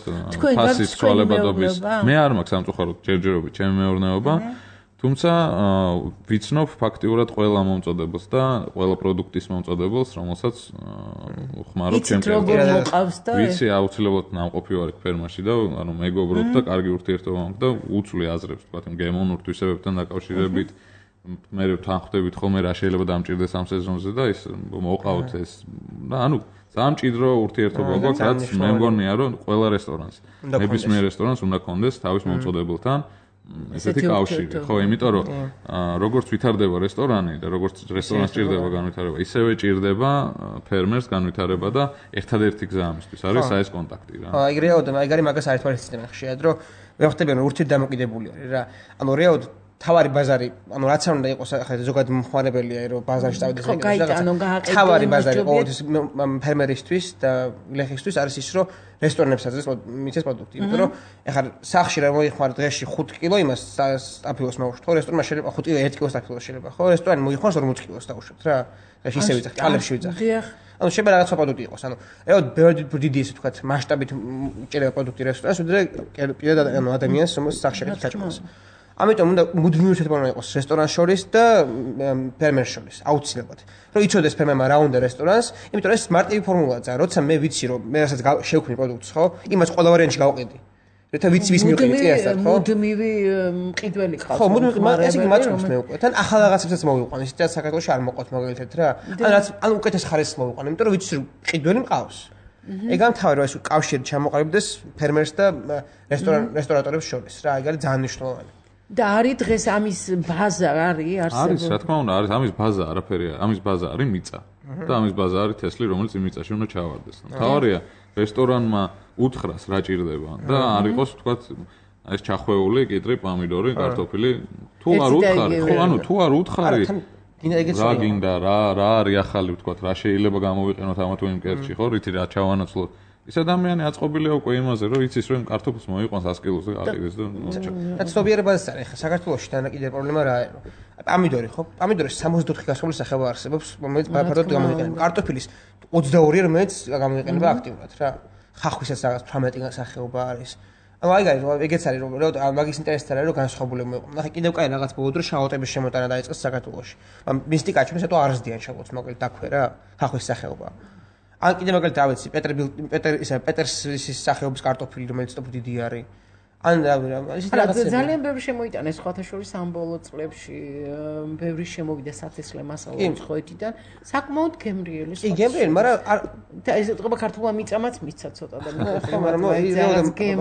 ფასის ცვალებადობის მე არ მაქვს სამწუხაროდ ჯერჯერობით ჩემი მეურნეობა თუმცა ვიცნობ ფაქტიურად ყველა მომწოდებელს და ყველა პროდუქტის მომწოდებელს რომელსაც ხმარობ ჩემს ვიცი აუცილებლად ნამყოფი ვარ ფერმაში და ანუ მეგობრობ და კარგი ურთიერთობა მაქვს და უცვლი აზრებს თქვა გემოვნურ თვისებებთან დაკავშირებით მე ვთანხმდებით ხოლმე რა შეიძლება დამჭირდეს ამ სეზონზე და ის მოყავთ ეს და ანუ ძალიან მჭიდრო ურთიერთობა გვაქვს რაც მე მგონია რომ ყველა რესტორანს ნებისმიერ რესტორანს უნდა კონდეს თავის მომწოდებელთან ესეთი კავშირი, ხო, იმიტომ რომ როგორც ვითარდება რესტორანი და როგორც რესტორანს ჭირდება განვითარება, ისევე ჭირდება ფერმერს განვითარება და ერთადერთი გზა ამისთვის არის საეს კონტაქტი რა. აი რეალურად აი გარი მაგას არის თვალის სისტემა ხშირად რომ ვეხტებიან ურთით დამოკიდებული არის რა. ანუ რეალურად თავარი ბაზარი, ანუ რაც არ უნდა იყოს ახლა ზოგადად მომხმარებელია რომ ბაზარში წავიდეს ეგრე. თავარი ბაზარი ყოველთვის ფერმერისთვის და ლეხისთვის არის ის რომ რესტორნებს აძლევს მიწის პროდუქტი. იმიტომ რომ ახლა სახში რა მოიხმარ დღეში 5 კილო იმას სტაფილოს მოუშვით. ხო რესტორნმა შეიძლება 5 კილო 1 კილო სტაფილოს შეიძლება. ხო რესტორანი მოიხმარს 40 კილოს დაუშვით რა. დღეში ისე ვიძახ, კალებში ვიძახ. ანუ შეიძლება რაღაც პროდუქტი იყოს. ანუ რეალურად ბევრი დიდი ესე ვთქვათ მასშტაბით ჭირდება პროდუქტი რესტორანს, ვიდრე პირადად ანუ ადამიანს რომელსაც სახში გაჭირავს. ამიტომ უნდა მუდმივი ურთიერთობა იყოს რესტორანს შორის და ფერმერს შორის აუცილებლად. რომ იცოდეს ფერმერმა რა უნდა რესტორანს, იმიტომ რომ ეს მარტივი ფორმულაა ძა, როცა მე ვიცი რომ მე რასაც შევქმნი პროდუქტს, ხო? იმას ყველა ვარიანტში გავყიდი. როცა ვიცი ვის მივყიდი წინასწარ, ხო? მუდმივი მყიდველი ყავს. ხო, მუდმივი, ესე იგი მაწყობს მე უკვე. თან ახალ რაღაცებსაც მოვიყვან, ისიც საქართველოში არ მოყავთ მაგალითად რა. ან უკეთეს ხარისხს მოვიყვან, იმიტომ რომ ვიცი რომ მყიდველი მყავს. ეგ ამთავრე რომ ეს კავშირი ჩამოყალიბდეს ფერმერს და რესტორატორებს შორის რა, ეგ არის ძალიან მნიშვნელოვანი. და არის დღეს ამის ბაზა არის არსებობს. არის, რა თქმა უნდა, არის ამის ბაზა, არაფერია. ამის ბაზა არის მიწა. და ამის ბაზა არის თესლი, რომელიც იმ მიწაში უნდა ჩავარდეს. თავარია რესტორანმა უთხრას რა ჭირდება და არ იყოს ვთქვათ ეს ჩახვეული, კიტრი, პომიდორი, კარტოფილი. თუ არ უთხარი, ხო, ანუ თუ არ უთხარი რა გინდა, რა არის ახალი ვთქვათ, რა შეიძლება გამოვიყენოთ ამა თუ იმ კერტში, ხო, რითი რა ჩავანაცვლოთ. ის ადამიანი აწყობილია უკვე იმაზე, რომ იცის რომ კარტოფილს მოიყვანს 100 კილოს და აყიდეს და და ცნობიერებაზეც არის. ახლა საქართველოში თანაკიდე პრობლემა რა არის? პომიდორი ხო? პომიდორის 64 გასული სახეობა არსებობს, რომელიც ფართოდ გამოიყენება. კარტოფილის 22 რომელიც გამოიყენება აქტიურად რა. ხახვისაც რაღაც 18 სახეობა არის. ანუ ეგეც არის რომ მაგის ინტერესით არის რომ განსხვავებული მოიყო. ნახე კიდევ კაი რაღაც ბოლოდ რომ შავოტების შემოტანა დაიწყეს საქართველოში. მისტიკაჩი ესეთო არზდიან შავოტს მაგალითად დაქვე რა. ხახვის სახეობა. ან კიდე მაგალითად რა ვიცი პეტერსის სახეობის კარტოფილი რომელიც ტოპ დიდი არის ან ისეთ რაღაცები ძალიან ბევრი შემოიტანეს სხვათა შორის ამ ბოლო წლებში ბევრი შემოვიდა სათესლე მასალები ხოეთიდან საკმაოდ გემრიელი კი გემრიელი მაგრამ ეს ეთქობა ქართულმა მიწამაც მიცა ცოტა და ხო მაგრამ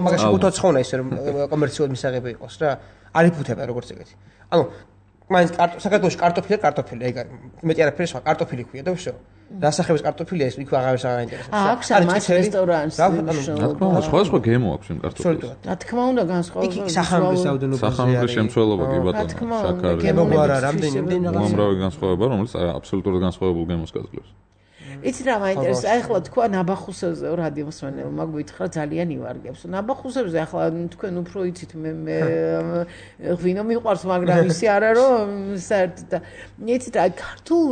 მაგაში უთოცხონა ისე რომ კომერციულად მისაღები იყოს რა არ იფუთება როგორც ეგეთი ანუ მაინც საქართველოში კარტოფილი ეგ არის მეტი არაფერი სხვა კარტოფილი ქვია და ვშო დასახების კარტოფილია ეს იქ აღარ აღაინტერესებს აქვს ამას რესტორანს სხვა გემო აქვს იმ კარტოფილს რა თქმა უნდა განსხვავებული იქ სახამების რაოდენობა სახამების შემცველობა კი ბატონო შაქარი გემო არა რამდენიმე უამრავი განსხვავება რომელიც აბსოლუტურად განსხვავებულ გემოს გაძლევს იცი რა მაინტერესებს აი ახლა თქვა ნაბახუსებზე რადიომსმენელმა გვითხრა ძალიან ივარგებს ნაბახუსებზე ახლა თქვენ უფრო იცით მე ღვინო მიყვარს მაგრამ ისე არა რომ საერთოდ და იცით აი ქართულ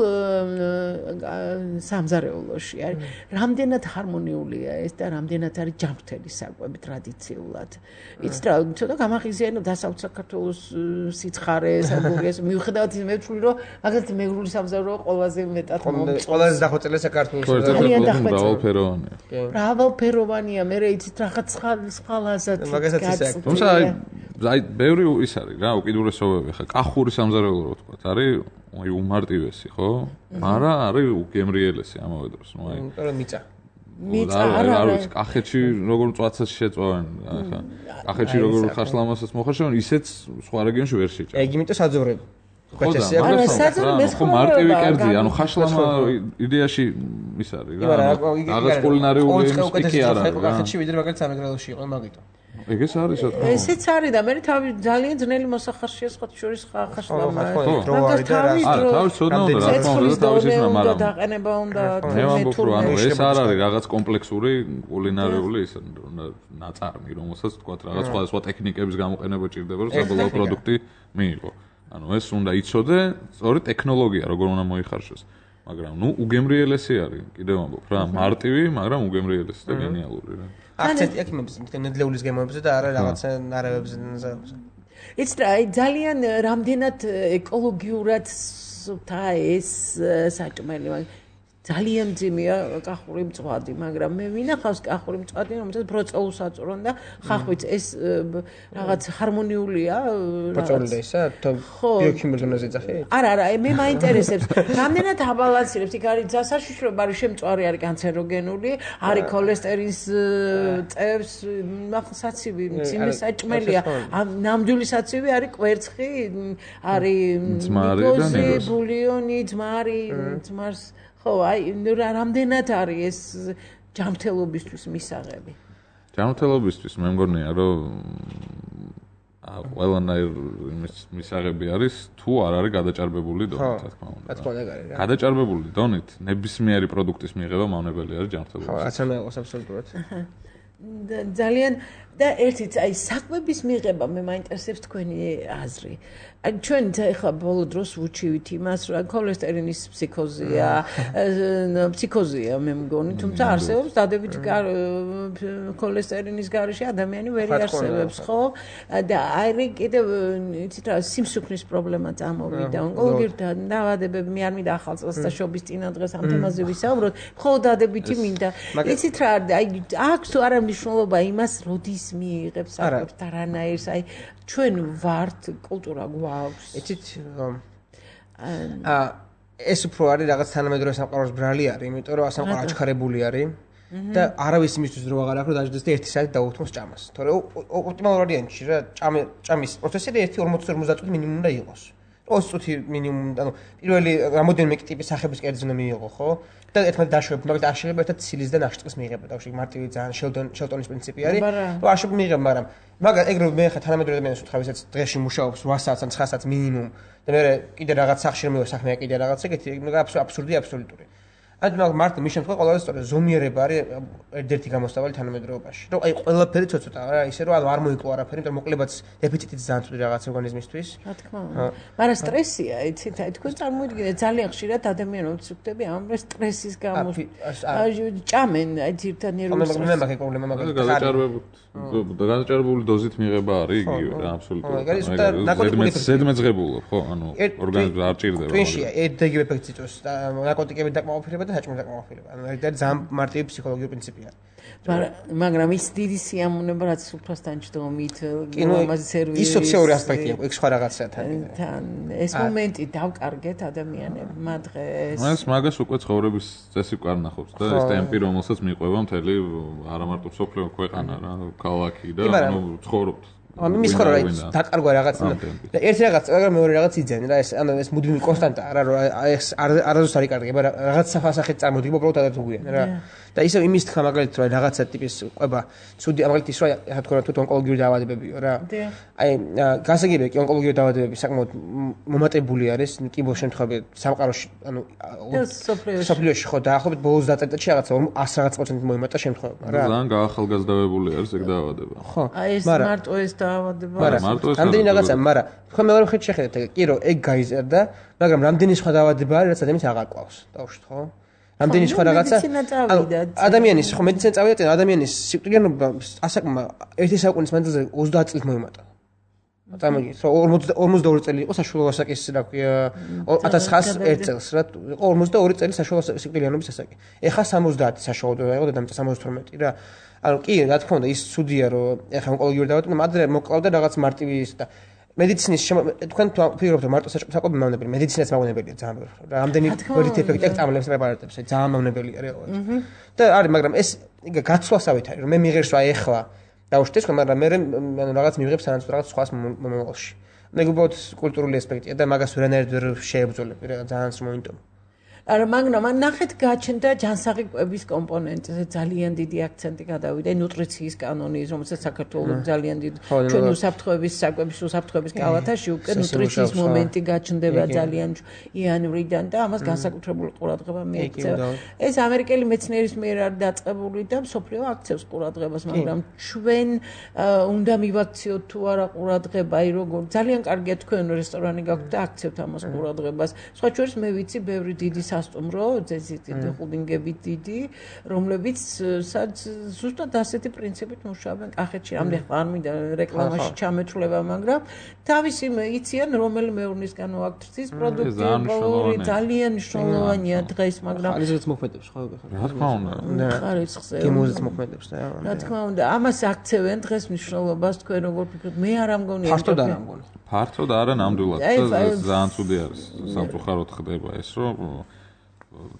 სამზარეულოში არის რამდენად ჰარმონიულია ეს და რამდენად არის ჯანმრთელი საკვები ტრადიციულად იცით რა ცოტა გამახიზიანო დასავლთ საქართველოს სიცხარე საბურგეს მიუხედავად ის მე ვთვლი რომ მაგალითად მეგრული სამზარეულო ყველაზე მეტად ყველაზე დახვეწილი ძალიან მრავალფეროვანია. მრავალფეროვანია, მე იცით რაღაც სხვა ლაზად. მაგასაც ისე აქვს. თუმცა აი ბევრი ის არის რა, უკიდურესობები ხა კახური სამზარეულო რო თქვა, არის აი უმარტივესი, ხო? მაგრამ არის უგემრიელესი ამავე დროს, ნუ აი. იმიტომ რომ მიწა არ არის კახეთში როგორ მწვაცას შეწვავენ, ხა. კახეთში როგორ ხაშლამასაც მოხარშავენ, ისეც სხვა რეგიონში ვერ შეჭა. ეგ იმიტომ საძოვრები. ხო მარტივი კერძი, ანუ ხაშლამა იდეაში ის არის რა. რაღაც კულინარიული სტიკი არ არის. კახეთში ვიდრე მაგალითად სამეგრელოში იყო მაგიტო. ეგეც არის რა. ესეც არის და მე თავი ძალიან ძნელი მოსახარშია სხვათა შორის ხაშლამა. მაგას თავის ცოდნა უნდა რა თქმა უნდა თავის ისმა მაგრამ დაყენება უნდა მე ვამბობ რომ ანუ ეს არ არის რაღაც კომპლექსური კულინარიული ის ნაწარმი რომელსაც თქვა რაღაც სხვა ტექნიკების გამოყენება ჭირდება რომ საბოლოო პროდუქტი მიიღო. ანუ ეს უნდა იცოდე, სწორი ტექნოლოგია როგორ უნდა მოიხარშოს. მაგრამ ნუ უგემრიელესი არის, კიდევ ვამბობ რა, მარტივი, მაგრამ უგემრიელესი და გენიალური რა. აქცენტი აქ იმებს ნედლეულის გემოებზე და არა რაღაცა ნარევებზე. იცით რა, ძალიან რამდენად ეკოლოგიურად და ეს საჭმელი ძალიან მძიმეა კახური მწვადი, მაგრამ მე ვინახავს კახური მწვადი, რომელსაც ბროწეულს აწვრონ და ხახვით ეს რაღაც ჰარმონიულია. ბროწეული და ისა ბიოქიმიურ ზონაზე ძახი? არა, მე მაინტერესებს. რამდენად აბალანსირებს, იქ არის დასაშიშროება, არის შემწვარი, არის კანცეროგენული, არის ქოლესტერინის წევს, საცივი, მძიმე საჭმელია. ნამდვილი საცივი არის კვერცხი, არის ნიკოზი, ბულიონი, ძმარს ხო, აი, რამდენად არის ეს ჯანმრთელობისთვის მისაღები? ჯანმრთელობისთვის მე მგონია, რომ ყველანაირ მისაღები არის, თუ არ არის გადაჭარბებული დონით, რა თქმა უნდა. რა თქმა უნდა, არის რა. გადაჭარბებული დონით ნებისმიერი პროდუქტის მიღება მავნებელი არის ჯანმრთელობისთვის. ხო, რაც არ მეყოს აბსოლუტურად. ძალიან და ერთიც აი საკვების მიღება მე მაინტერესებს თქვენი აზრი. აი ჩვენ ახლა ბოლო დროს ვუჩივით იმას, რომ ქოლესტერინის ფსიქოზია მე მგონი, თუმცა არსებობს დადებით ქოლესტერინის გარეშე ადამიანი ვერ იარსებებს, ხო? და აი კიდევ იცით რა სიმსუქნის პრობლემა წამოვიდა, ონკოლოგიური დაავადებები, მე არ მინდა ახალ წელს და შობის წინა დღეს ამ თემაზე ვისაუბროთ, მხოლოდ დადებითი მინდა. იცით რა, აი აქვს თუ არა მნიშვნელობა იმას, როდის მიიღებს საკვებს და რანაირს, აი ჩვენ ვართ კულტურა გვაქვს. იცით ეს უფრო არის რაღაც თანამედროვე სამყაროს ბრალი არის, იმიტომ რომ სამყარო აჩქარებული არის და არავის იმისთვის დრო აღარ აქვს, რომ დაждდეს და 1 საათი დაუთმოს ჭამას. თორე ოპტიმალურ ვარიანტში რა ჭამის პროცესი 1-40 წუთი მინიმუმ უნდა იყოს. 20 წუთი მინიმუმ, ანუ პირველი რამოდენიმე ტიპის სახების კერძი უნდა მიიღო, ხო? და ერთმანეთს დაშვებთ, მაგალითად არ შეიძლება ერთად ცილის და ნახშირწყლის მიიღება, თავში მარტივი ძალიან შელტონის პრინციპი არის. რომ არ შეიძლება მიიღება, მაგრამ ეგრევე მე ხა თანამედროვე ადამიანს ვთქვა, ვისაც დღეში მუშაობს 8 საათს ან 9 საათს მინიმუმ და მე კიდე რაღაც სახში რომ საქმეა კიდე რაღაც ეგეთი, აბსურდი აბსოლუტური. ანუ მარტო მის შემთხვევაში ყველაზე სწორად ზომიერება არის ერთ-ერთი გამოსავალი თანამედროვეობაში. რომ აი ყველაფერი ცოტა რა, ისე რომ არ მოიკლო არაფერი, იმიტომ რომ მოკლებაც დეფიციტიც ძალიან ცუდი რაღაც ორგანიზმისთვის. რა თქმა უნდა. მაგრამ სტრესია, იცით, აი თქვენ წარმოიდგინეთ ძალიან ხშირად ადამიანებს ვხვდები ამ სტრესის გამო. ჭამენ აი ძირთან ნერვულ სტრესს. მე მაგ პრობლემა მაგალითად გადაჭარბებული დოზით მიღება არის იგივე რა, აბსოლუტურად. ზედმეძღებულო, ხო, ანუ ორგანიზმს არ ჭირდება. ტვინში ეგ ეფექტი იწვევს და ნარკოტიკები დაკმაყოფილება და საჭმელი დაკმაყოფილება. ანუ ეს ძალიან მარტივი ფსიქოლოგიური პრინციპია. მაგრამ ის დიდი სიამოვნება რაც უფროსთან ჯდომით, ამაზე სერვისი. ის სოციალური ასპექტია, ეგ სხვა რაღაცაა თან. ეს მომენტი დავკარგეთ ადამიანებმა დღეს. მას მაგას უკვე ცხოვრების წესი ვკარნახობს და ეს ტემპი რომელსაც მიყვება მთელი არა მარტო სოფლიო ქვეყანა რა, ქალაქი და ანუ ცხოვრობთ. მის ხო რა დაკარგვა რაღაც და ერთი რაღაც, მაგრამ მეორე რაღაც იძენ რა, ეს ანუ ეს მუდმივი კონსტანტა რა, რომ ეს არასდროს არ იკარგება, რაღაც სახით წარმოდგება უბრალოდ ადათუგვიან რა. და ისე იმის თქვა მაგალითად რომ რაღაცა ტიპის ყვება, ცუდი მაგალითად ის რა თქვა თუ ონკოლოგიური დაავადებებიო რა. აი გასაგებია კი ონკოლოგიური დაავადებები საკმაოდ მომატებული არის კიბოს შემთხვევაში სამყაროში, ანუ სოფლიოში ხო დაახლოებით ბოლოს დაწესებაში რაღაცა 100 რაღაც პროცენტით მოიმატა შემთხვევები რა. ძალიან გაახალგაზრდავებული არის ეგ დაავადება. ხო, აი ეს მარტო ეს დაავადება. რამდენი რაღაცა, მაგრამ ხო მეორე მხრივ შეხედეთ, კი რომ ეგ გაიზარდა, მაგრამ რამდენი სხვა დაავადება არის, რაც ადამიანს აღარ ყავს. დავუშვით ხო? რამდენი სხვა რაღაცა ადამიანის ხო მედიცინა წავიდა, ადამიანის სიკვდილიანობა ასაკმა 1 საუკუნის მანძილზე 30 წელს მოიმატა. წარმოგიდგენთ, 42 წელი იყო საშუალო ასაკის რა ქვია 1901 წელს რა, იყო 42 წელი საშუალო სიკვდილიანობის ასაკი. ეხა 70 საშუალო იყო დედამიწა 72 რა. ანუ კი რა თქმა უნდა ის ცუდია რომ ეხა ონკოლოგიური დაავადება მადრე მოკლავდა რაღაც მარტივი ის და მედიცინის თქვენ ფიქრობთ რომ მარტო საკვები მავნებელი მედიცინაც მავნებელია ძალიან ბევრი. რამდენი ვერით ეფექტი აქვს წამლებს პრეპარატებს, ძალიან მავნებელია რეალურად. და არის, მაგრამ ეს გაცვლასავით არის რომ მე მიღერს რა ეხლა დავუშვით ხო, მაგრამ მე რაღაც მივიღებს სანაცვლოდ რაღაც სხვას მომავალში. მე უბრალოდ კულტურული ასპექტია და მაგას ვერანაირად ვერ შეებრძოლები რა ძალიან მომენტო. არა, მაგრამ ნახეთ გაჩნდა ჯანსაღი კვების კომპონენტზე ძალიან დიდი აქცენტი გადავიდა ნუტრიციის კანონის, რომელსაც საქართველოს ძალიან დიდი ჩვენ უსაფრთხოების საკვების უსაფრთხოების კალათაში უკვე ნუტრიციის მომენტი გაჩნდება ძალიან იანვრიდან და ამას განსაკუთრებული ყურადღება მიექცევა. ეს ამერიკელი მეცნიერის მიერ არის დაწყებული და მსოფლიო აქცევს ყურადღებას, მაგრამ ჩვენ უნდა მივაქციოთ თუ არა ყურადღება, აი როგორ ძალიან კარგია თქვენ რესტორანი გაქვთ და აქცევთ ამას ყურადღებას. სხვა შორის მე ვიცი ბევრი დიდი სასტუმრო, ძეზიტი ხუდინგებით დიდი, რომლებიც ზუსტად ასეთი პრინციპით მუშაობენ კახეთში. ამდენ არ მინდა რეკლამაში ჩამეცვლება, მაგრამ თავისი იციან რომელი მეურნისგანო აქ თვის პროდუქტი ძალიან მნიშვნელოვანია დღეს, მაგრამ ხარისხს მოქმედებს ხო? რა თქმა უნდა. ხარისხზე. გემოზეც მოქმედებს და რა თქმა უნდა, ამას აქცევენ დღეს მნიშვნელობას თქვენ როგორ ფიქრობთ? მე არ ამგონია. ფართოდ არ ამგონია. ფართოდ არა ნამდვილად. ძალიან ცუდი არის. სამწუხაროდ ხდება ეს, რომ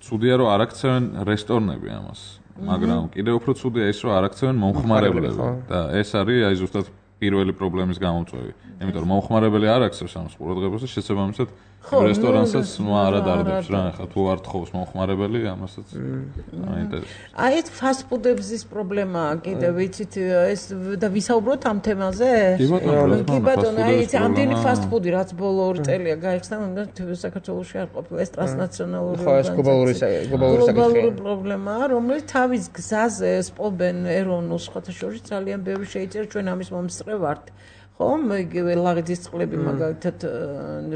ცუდია რომ არ აქცევენ რესტორნები ამას. მაგრამ კიდევ უფრო ცუდია ის, რომ არ აქცევენ მომხმარებლები და ეს არის აი ზუსტად პირველი პრობლემის გამომწვევი. იმიტომ რომ მომხმარებელი არ აქცევს ამას ყურადღებას და შესაბამისად რესტორანსაც არ ადარდებს რა, ხა თუ არ თხოვს მომხმარებელი, ამასაც აინტერესებს. აი ეს ფასტფუდების პრობლემაა კიდევ ვიცით ეს და ვისაუბროთ ამ თემაზე? კი ბატონო, აი ეს ამდენი ფასტფუდი რაც ბოლო 2 წელია გაიხსნა, საქართველოში არ ყოფილა ეს ტრანსნაციონალური გლობალური პრობლემაა, რომელიც თავის გზაზე სპობენ ეროვნულ სხვათა შორის ძალიან ბევრი შეიძლება ჩვენ ამის მომსწრე ვართ. ხომ იგივე ლაღიძის წყლები მაგალითად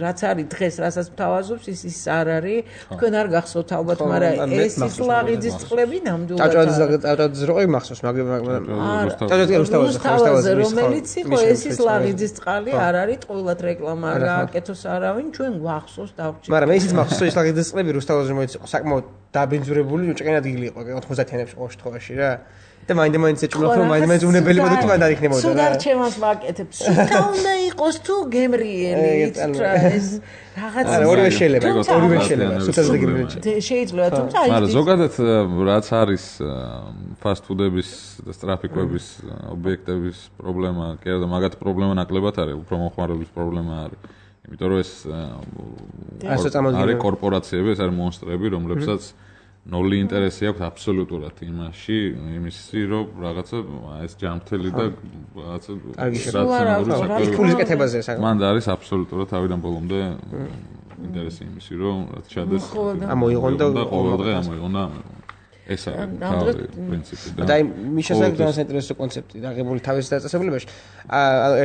რაც არის დღეს რასაც მთავაზობს ის არ არის თქვენ არ გახსოვთ ალბათ მაგრამ ეს ის ლაღიძის წყლები ნამდვილად ჭავჭავაძის როი მახსოვს მაგრამ ჭავჭავაძის რომელიც იყო ეს ის ლაღიძის წყალი არ არის ყოველად რეკლამა არ გააკეთოს არავინ ჩვენ გვახსოვს დავჭირდა მაგრამ ისიც მახსოვს ეს ლაღიძის წყლები რუსთავაზე რომელიც იყო საკმაოდ დაბინძურებული უჭყენ ადგილი იყო 90-იანებში ყოველ შემთხვევაში რა და მაინდა-მაინც ეჭვმელა რომ მაინდა-მაინც უნებელი პროდუქტი მანდ არ იქნებოდა რა. სულ არ ჩემას ვაკეთებ. სულ უნდა იყოს თუ გემრიელი ეს რაღაც ორივე შეიძლება, ორივე შეიძლება. სულაც შეიძლება, თუმცა მაგრამ ზოგადად რაც არის ფასტფუდების და სტრაფიკების ობიექტების პრობლემა, კი არა და მაგათ პრობლემა ნაკლებად არის, უფრო მომხმარებლების პრობლემა არის. იმიტომ რომ ეს არის კორპორაციები, ეს არის მონსტრები, რომლებსაც ნული ინტერესი აქვს აბსოლუტურად იმაში, იმისი რომ რაღაცა ეს ჯანმრთელი და რაღაცა რაციონალური ფულის კეთებაზე საკმაოდ. მან არის აბსოლუტურად თავიდან ბოლომდე ინტერესი იმისი რომ რაც ჩადეს ამოიღონ და ყოველდღე ამოიღონ და ეს არის თავი პრინციპი და აი მიშასაკ ძალიან საინტერესო კონცეფტი დაღებული თავის დაწესებულებაში.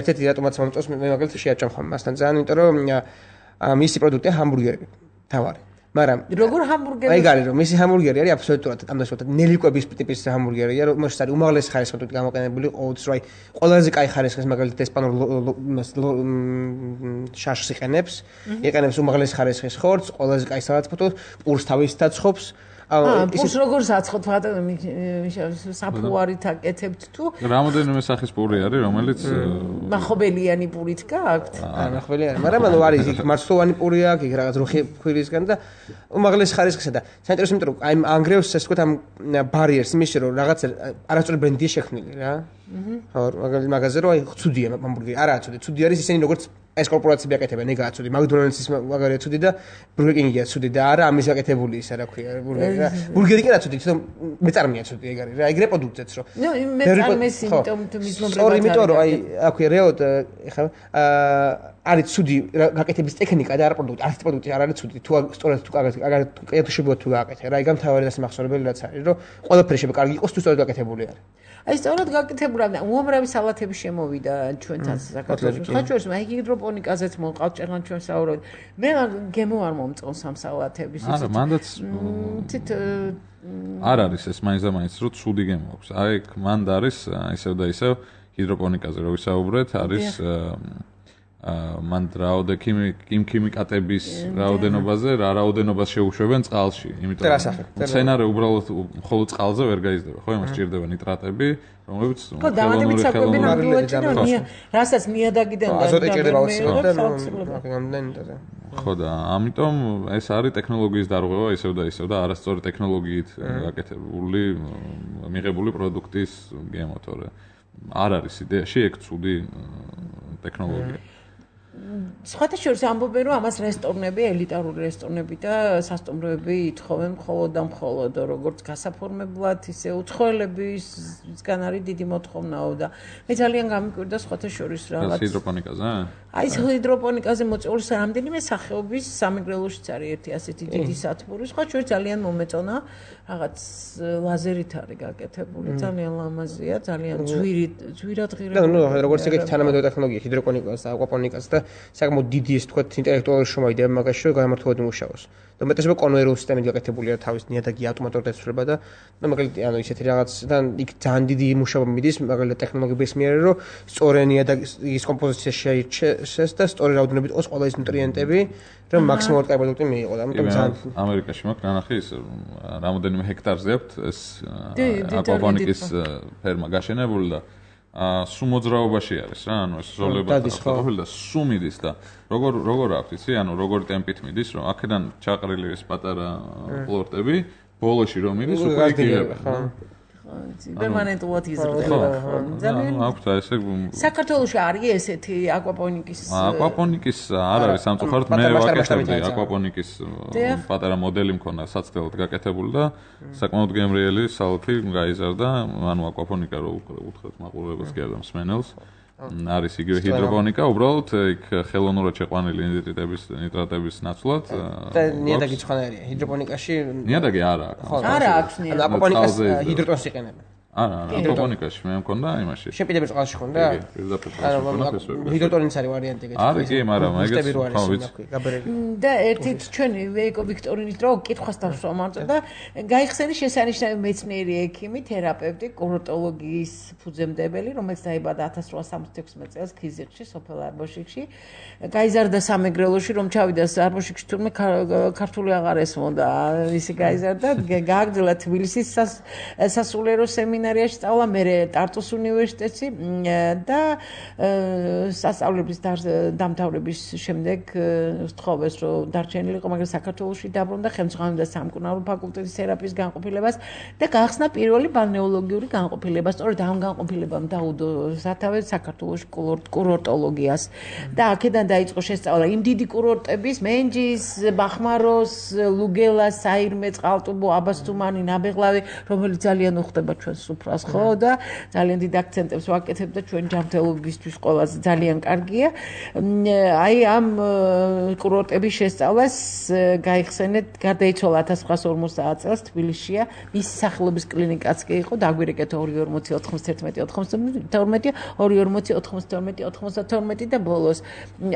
ერთ-ერთი რატომაც მომწონს მე მაგალითად შეაჭამ ხომ მასთან ძალიან, იმიტომ რომ მისი პროდუქტია ჰამბურგერები. თავარი მაგრამ როგორ ჰამბურგერი აი გარი რომ მისი ჰამბურგერი არის აბსოლუტურად ამდენშოთ ნელიკვების ტიპის ჰამბურგერია რომ მას არის უმაღლესი ხარისხის პროდუქტი გამოყენებული ყოველთვის რომ აი ყველაზე კაი ხარისხის მაგალითად ესპანურ შაშს იყენებს უმაღლესი ხარისხის ხორცს ყველაზე კაი სალათბურთოს პურს თავისთან ცხობს პურს როგორ საცხობთ საფუარით აკეთებთ თუ რამოდენიმე სახის პური არის რომელიც მახობელიანი პურით გააქვთ მახობელიანი მაგრამ ანუ არის იქ მარცვლოვანი პური აქვს იქ რაღაც რუხი ქვირისგან და უმაღლესი ხარისხისა და საინტერესო იმიტომ რომ აი ანგრევს ეს თქვა ამ ბარიერს იმის რომ რაღაც არასწორი ბრენდია შექმნილი რა ხო მაგაზე რომ აი ცუდია ჰამბურგერი არაა ცუდი ცუდი არის ისინი როგორც ეს კორპორაციები აკეთებენ ეგაა ცუდი მაგდონალდსის მაგარია ცუდი და ბურგერ კინგია ცუდი და არა ამის აკეთებული ისა რა ქვია ბურგერი რა ბურგერი კი რა ცუდი თვითონ მეწარმეა ცუდი ეგ არის რა ეგ რეპროდუქციაც რო ნუ მეწარმე სიმპტომ თუ მიზნობრებად ორი იმიტომ რომ აი აქვე რეოდ ეხლა არის ცუდი გაკეთების ტექნიკა და არა პროდუქტი არც პროდუქტი არ არის ცუდი თუ სწორად თუ კარგად შეგვიძლია თუ გააკეთე რა იგამ თავარი და სიმახსოვრებელი რაც არის რომ ყველაფერი შეიძლება კარგი იყოს თუ სწორად გაკეთებული არის აი სწორად გაკეთებული და უამრავი სალათები შემოვიდა ჩვენთან საქართველოში. ხა ჩვენს აი ჰიდროპონიკაზეც მოყავთ ჭერლან ჩვენ საუბრობთ. მე გემო არ მომწონს ამ სალათების ისე. არა, მანდაც არ არის ეს მაინც რომ ცუდი გემო აქვს. აი მანდ არის ისევ და ისევ ჰიდროპონიკაზე რო ვისაუბრეთ, არის მან რაოდე ქიმიკატების რაოდენობაზე რა რაოდენობას შეუშვებენ წყალში, იმიტომ რომ მცენარე უბრალოდ მხოლოდ წყალზე ვერ გაიზრდება, ხო, იმას სჭირდება ნიტრატები, რომლებიც ხელოვნური ხელოვნური რასაც ნიადაგიდან და აზოტი ჭირდება აუცილებლად. ხო და ამიტომ ეს არის ტექნოლოგიის დარღვევა ისევ და არასწორი ტექნოლოგიით გაკეთებული მიღებული პროდუქტის გემოტორე. არ არის იდეაში ეგ ცუდი ტექნოლოგია. სხვათა შორის ამბობენ რომ ამას რესტორნები, ელიტარული რესტორნები და სასტუმროები ითხოვენ მხოლოდ და მხოლოდ როგორც გასაფორმებლად, ისე უცხოელებისგან არის დიდი მოთხოვნაო და მე ძალიან გამიკვირდა სხვათა შორის რაღაც ჰიდროპონიკაზე? აი ეს ჰიდროპონიკაზე მოწეული რამდენიმე სახეობის სამეგრელოშიც არის ერთი ასეთი დიდი სათბური, სხვა შორის ძალიან მომეწონა რაღაც ლაზერით არის გაკეთებული, ძალიან ლამაზია, ძალიან ძვირად ღირებული. და ნუ როგორც ეგეთი თანამედროვე ტექნოლოგია ჰიდროპონიკას და აკვაპონიკას და საკმაოდ დიდი ის თქვა ინტელექტუალური შრომა იდეა მაგაში რომ გამართულად იმუშაოს. და მეტესობა კონვეიერული სისტემით გაკეთებულია თავის ნიადაგი ავტომატურად ეცვლება და მაგალითად ანუ ისეთი რაღაციდან იქ ძალიან დიდი მუშაობა მიდის მაგალითად ტექნოლოგიების მიერ რომ სწორი ნიადაგის კომპოზიცია შეირჩეს და სწორი რაოდენობით იყოს ყველა ის ნუტრიენტები რომ მაქსიმალურად კარგი პროდუქტი მიიღო და ამიტომ ძალიან ამერიკაში მაქვს ნანახი ის რამოდენიმე ჰექტარზე აქვს ეს აკვაპონიკის ფერმა გაშენებული და სულ მოძრაობაში არის რა ანუ ეს ზოლება ყოფილი და სულ მიდის და როგორ აქვს იცი ანუ როგორი ტემპით მიდის რომ აქედან ჩაყრილი ეს პატარა პლორტები ბოლოში რომ მიდის უკვე იგივე ხო პერმანენტულად იზრდება ხო ძალიან აქვს ესე საქართველოში არის ესეთი აკვაპონიკის არ არის სამწუხაროდ მე ვაკეთებდი აკვაპონიკის პატარა მოდელი მქონდა საცდელად გაკეთებული და საკმაოდ გემრიელი სალფი გაიზარდა ანუ აკვაპონიკა რო უთხრეთ მაყურებელს კი არა მსმენელს არის იგივე ჰიდროპონიკა უბრალოდ იქ ხელოვნურად შეყვანილი ნიტრატების ნაცვლად და ნიადაგი ცხანარია ჰიდროპონიკაში ნიადაგი არა აქვს არა აქვს ნიადაგი აკვაპონიკას ჰიდროტონს იყენებენ არა აკვაპონიკაში მე მქონდა იმაში შეპირების წყალში ხონდა ჰიდროტონიც არის ვარიანტი არის კი მაგრამ ეგეც ხო ვიცი და ერთით ჩვენ ვეიკო ვიქტორინის დრო კითხვას დავსვამართ და გაიხსენის შესანიშნავი მეცნიერი ექიმი თერაპევტი კურორტოლოგიის ფუძემდებელი რომელიც დაიბადა 1866 წელს ქიზიყში სოფელ არბოშიკში გაიზარდა სამეგრელოში რომ ჩავიდა არბოშიკში თურმე ქართული აღარ ესმოდა ისი გაიზარდა გააგრძელა თბილისის სასულიერო სემინარიაში სწავლა მე ტარტუს უნივერსიტეტში და სასწავლების დამთავრების შემდეგ სთხოვეს რომ დარჩენილიყო მაგრამ საქართველოში დაბრუნდა ხელმძღვანელობდა სამკურნალო ფაკულტეტის თერაპიის განყოფილებას და გაახსნა პირველი ბალნეოლოგიური განყოფილება სწორედ ამ განყოფილებამ დაუდო სათავე საქართველოში კურორტოლოგიას და აქედან დაიწყო შესწავლა იმ დიდი კურორტების მენჯის, ბახმაროს, ლუგელას, საირმე, წყალტუბო, აბასთუმანი, ნაბეღლავი რომელიც ძალიან უხდება ჩვენ სუფრას ხო და ძალიან დიდ აქცენტებს ვაკეთებ და ჩვენ ჯანმრთელობისთვის ყველაზე ძალიან კარგია. აი ამ კურორტების შესწავლას გაიხსენეთ გარდაიცვალა 1950 წელს თბილისშია მისი სახელობის კლინიკაც კი იყო დაგვირეკეთ 240-91-92 და ბოლოს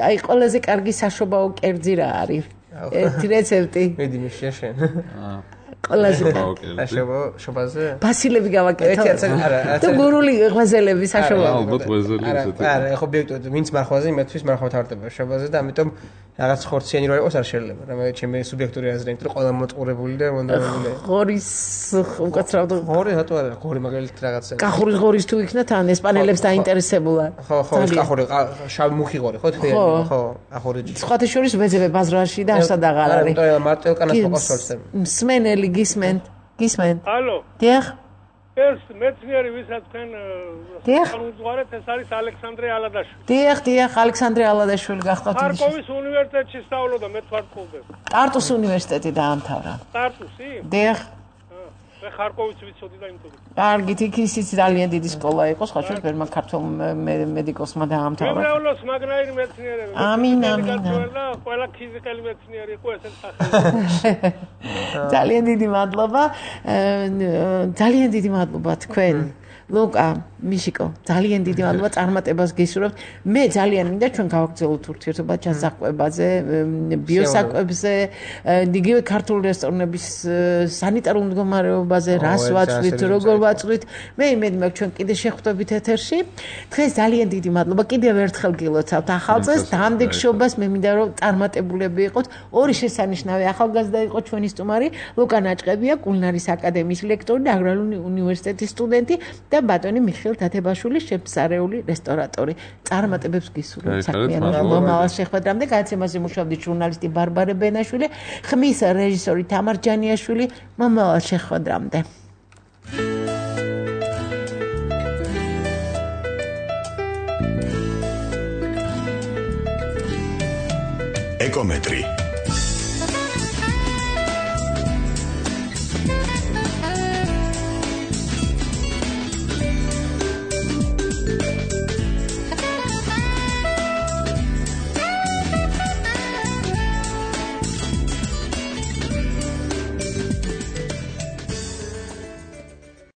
აი ყველაზე კარგი საშობაო კერძი რა არის ერთი რეცეპტი მედი მიშია შენ ყველაზე შობაზე ბასილები გავაკეთე და გურული ღვეზელები საშობაო ალბათ ღვეზელი ესეთი არა ხო ბიექტოდ ვინც მარხვაზე იმეთვის მარხვა თავდება შობაზე და ამიტომ რაღაც ხორციანი რო იყოს არ შეიძლება რა ჩემი სუბიექტური აზრი იმიტომ რომ ყველა მოწყურებული და მონდომებული ღორის უკაცრავდა ღორი რატო არა ღორი მაგალითად რაღაცა კახურის ღორის თუ იქნა თან ესპანელებს დაინტერესებულა ხო ეს კახური შავი მუხი ღორი ხო თქიანი ხო ახორი სხვათა შორის ვეძებე ბაზრაში და არსად აღარ არის არა მარტელკანას მოყავს მსმენელი გისმენთ ალო დიახ ეს მეცნიერი ვისაც თქვენ განუძღვარეთ ეს არის ალექსანდრე ალადაშვილი დიახ ალექსანდრე ალადაშვილი გახდათ ხარკოვის უნივერსიტეტში სწავლობდა მე თვარწყობდე ტარტუს უნივერსიტეტი დაამთავრა ტარტუსი დიახ მე ხარკოვის ვიცოდი და იმთოდი კარგით იქ ისიც ძალიან დიდი სკოლა იყო სხვა შორის ბერმა ქართულ მედიკოსმა დაამთავრა გემრიელოს მაგნაირი მეცნიერები ამინ ყველა ფიზიკელი მეცნიერი იყო ესეთ სახელს ძალიან დიდი მადლობა თქვენ ლუკა მიშიკო ძალიან დიდი მადლობა წარმატებას გისურვებთ მე ძალიან მინდა ჩვენ გავაგრძელოთ ურთიერთობა ჩასაკვებაზე ბიოსაკვებზე იგივე ქართული რესტორნების სანიტარულ მდგომარეობაზე რას ვაწვით როგორ ვაწვით მე იმედი მაქვს ჩვენ კიდე შეხვდებით ეთერში დღეს ძალიან დიდი მადლობა კიდევ ერთხელ გილოცავთ ახალ წელს დამდეგშობას მე მინდა რომ წარმატებულები იყოთ ორი შესანიშნავი ახალგაზრდა იყო ჩვენი სტუმარი ლუკა ნაჭყებია კულინარის აკადემიის ლექტორი და აგრარული უნივერსიტეტის სტუდენტი და ბატონი მიხეილ თათებაშვილი შეფსარეული რესტორატორი წარმატებებს გისურვებთ საქმიანობაში მომავალ შეხვედრამდე გადაცემაზე მუშაობდი ჟურნალისტი ბარბარე ბენაშვილი ხმის რეჟისორი თამარ ჯანიაშვილი მომავალ შეხვედრამდე ეკომეტრი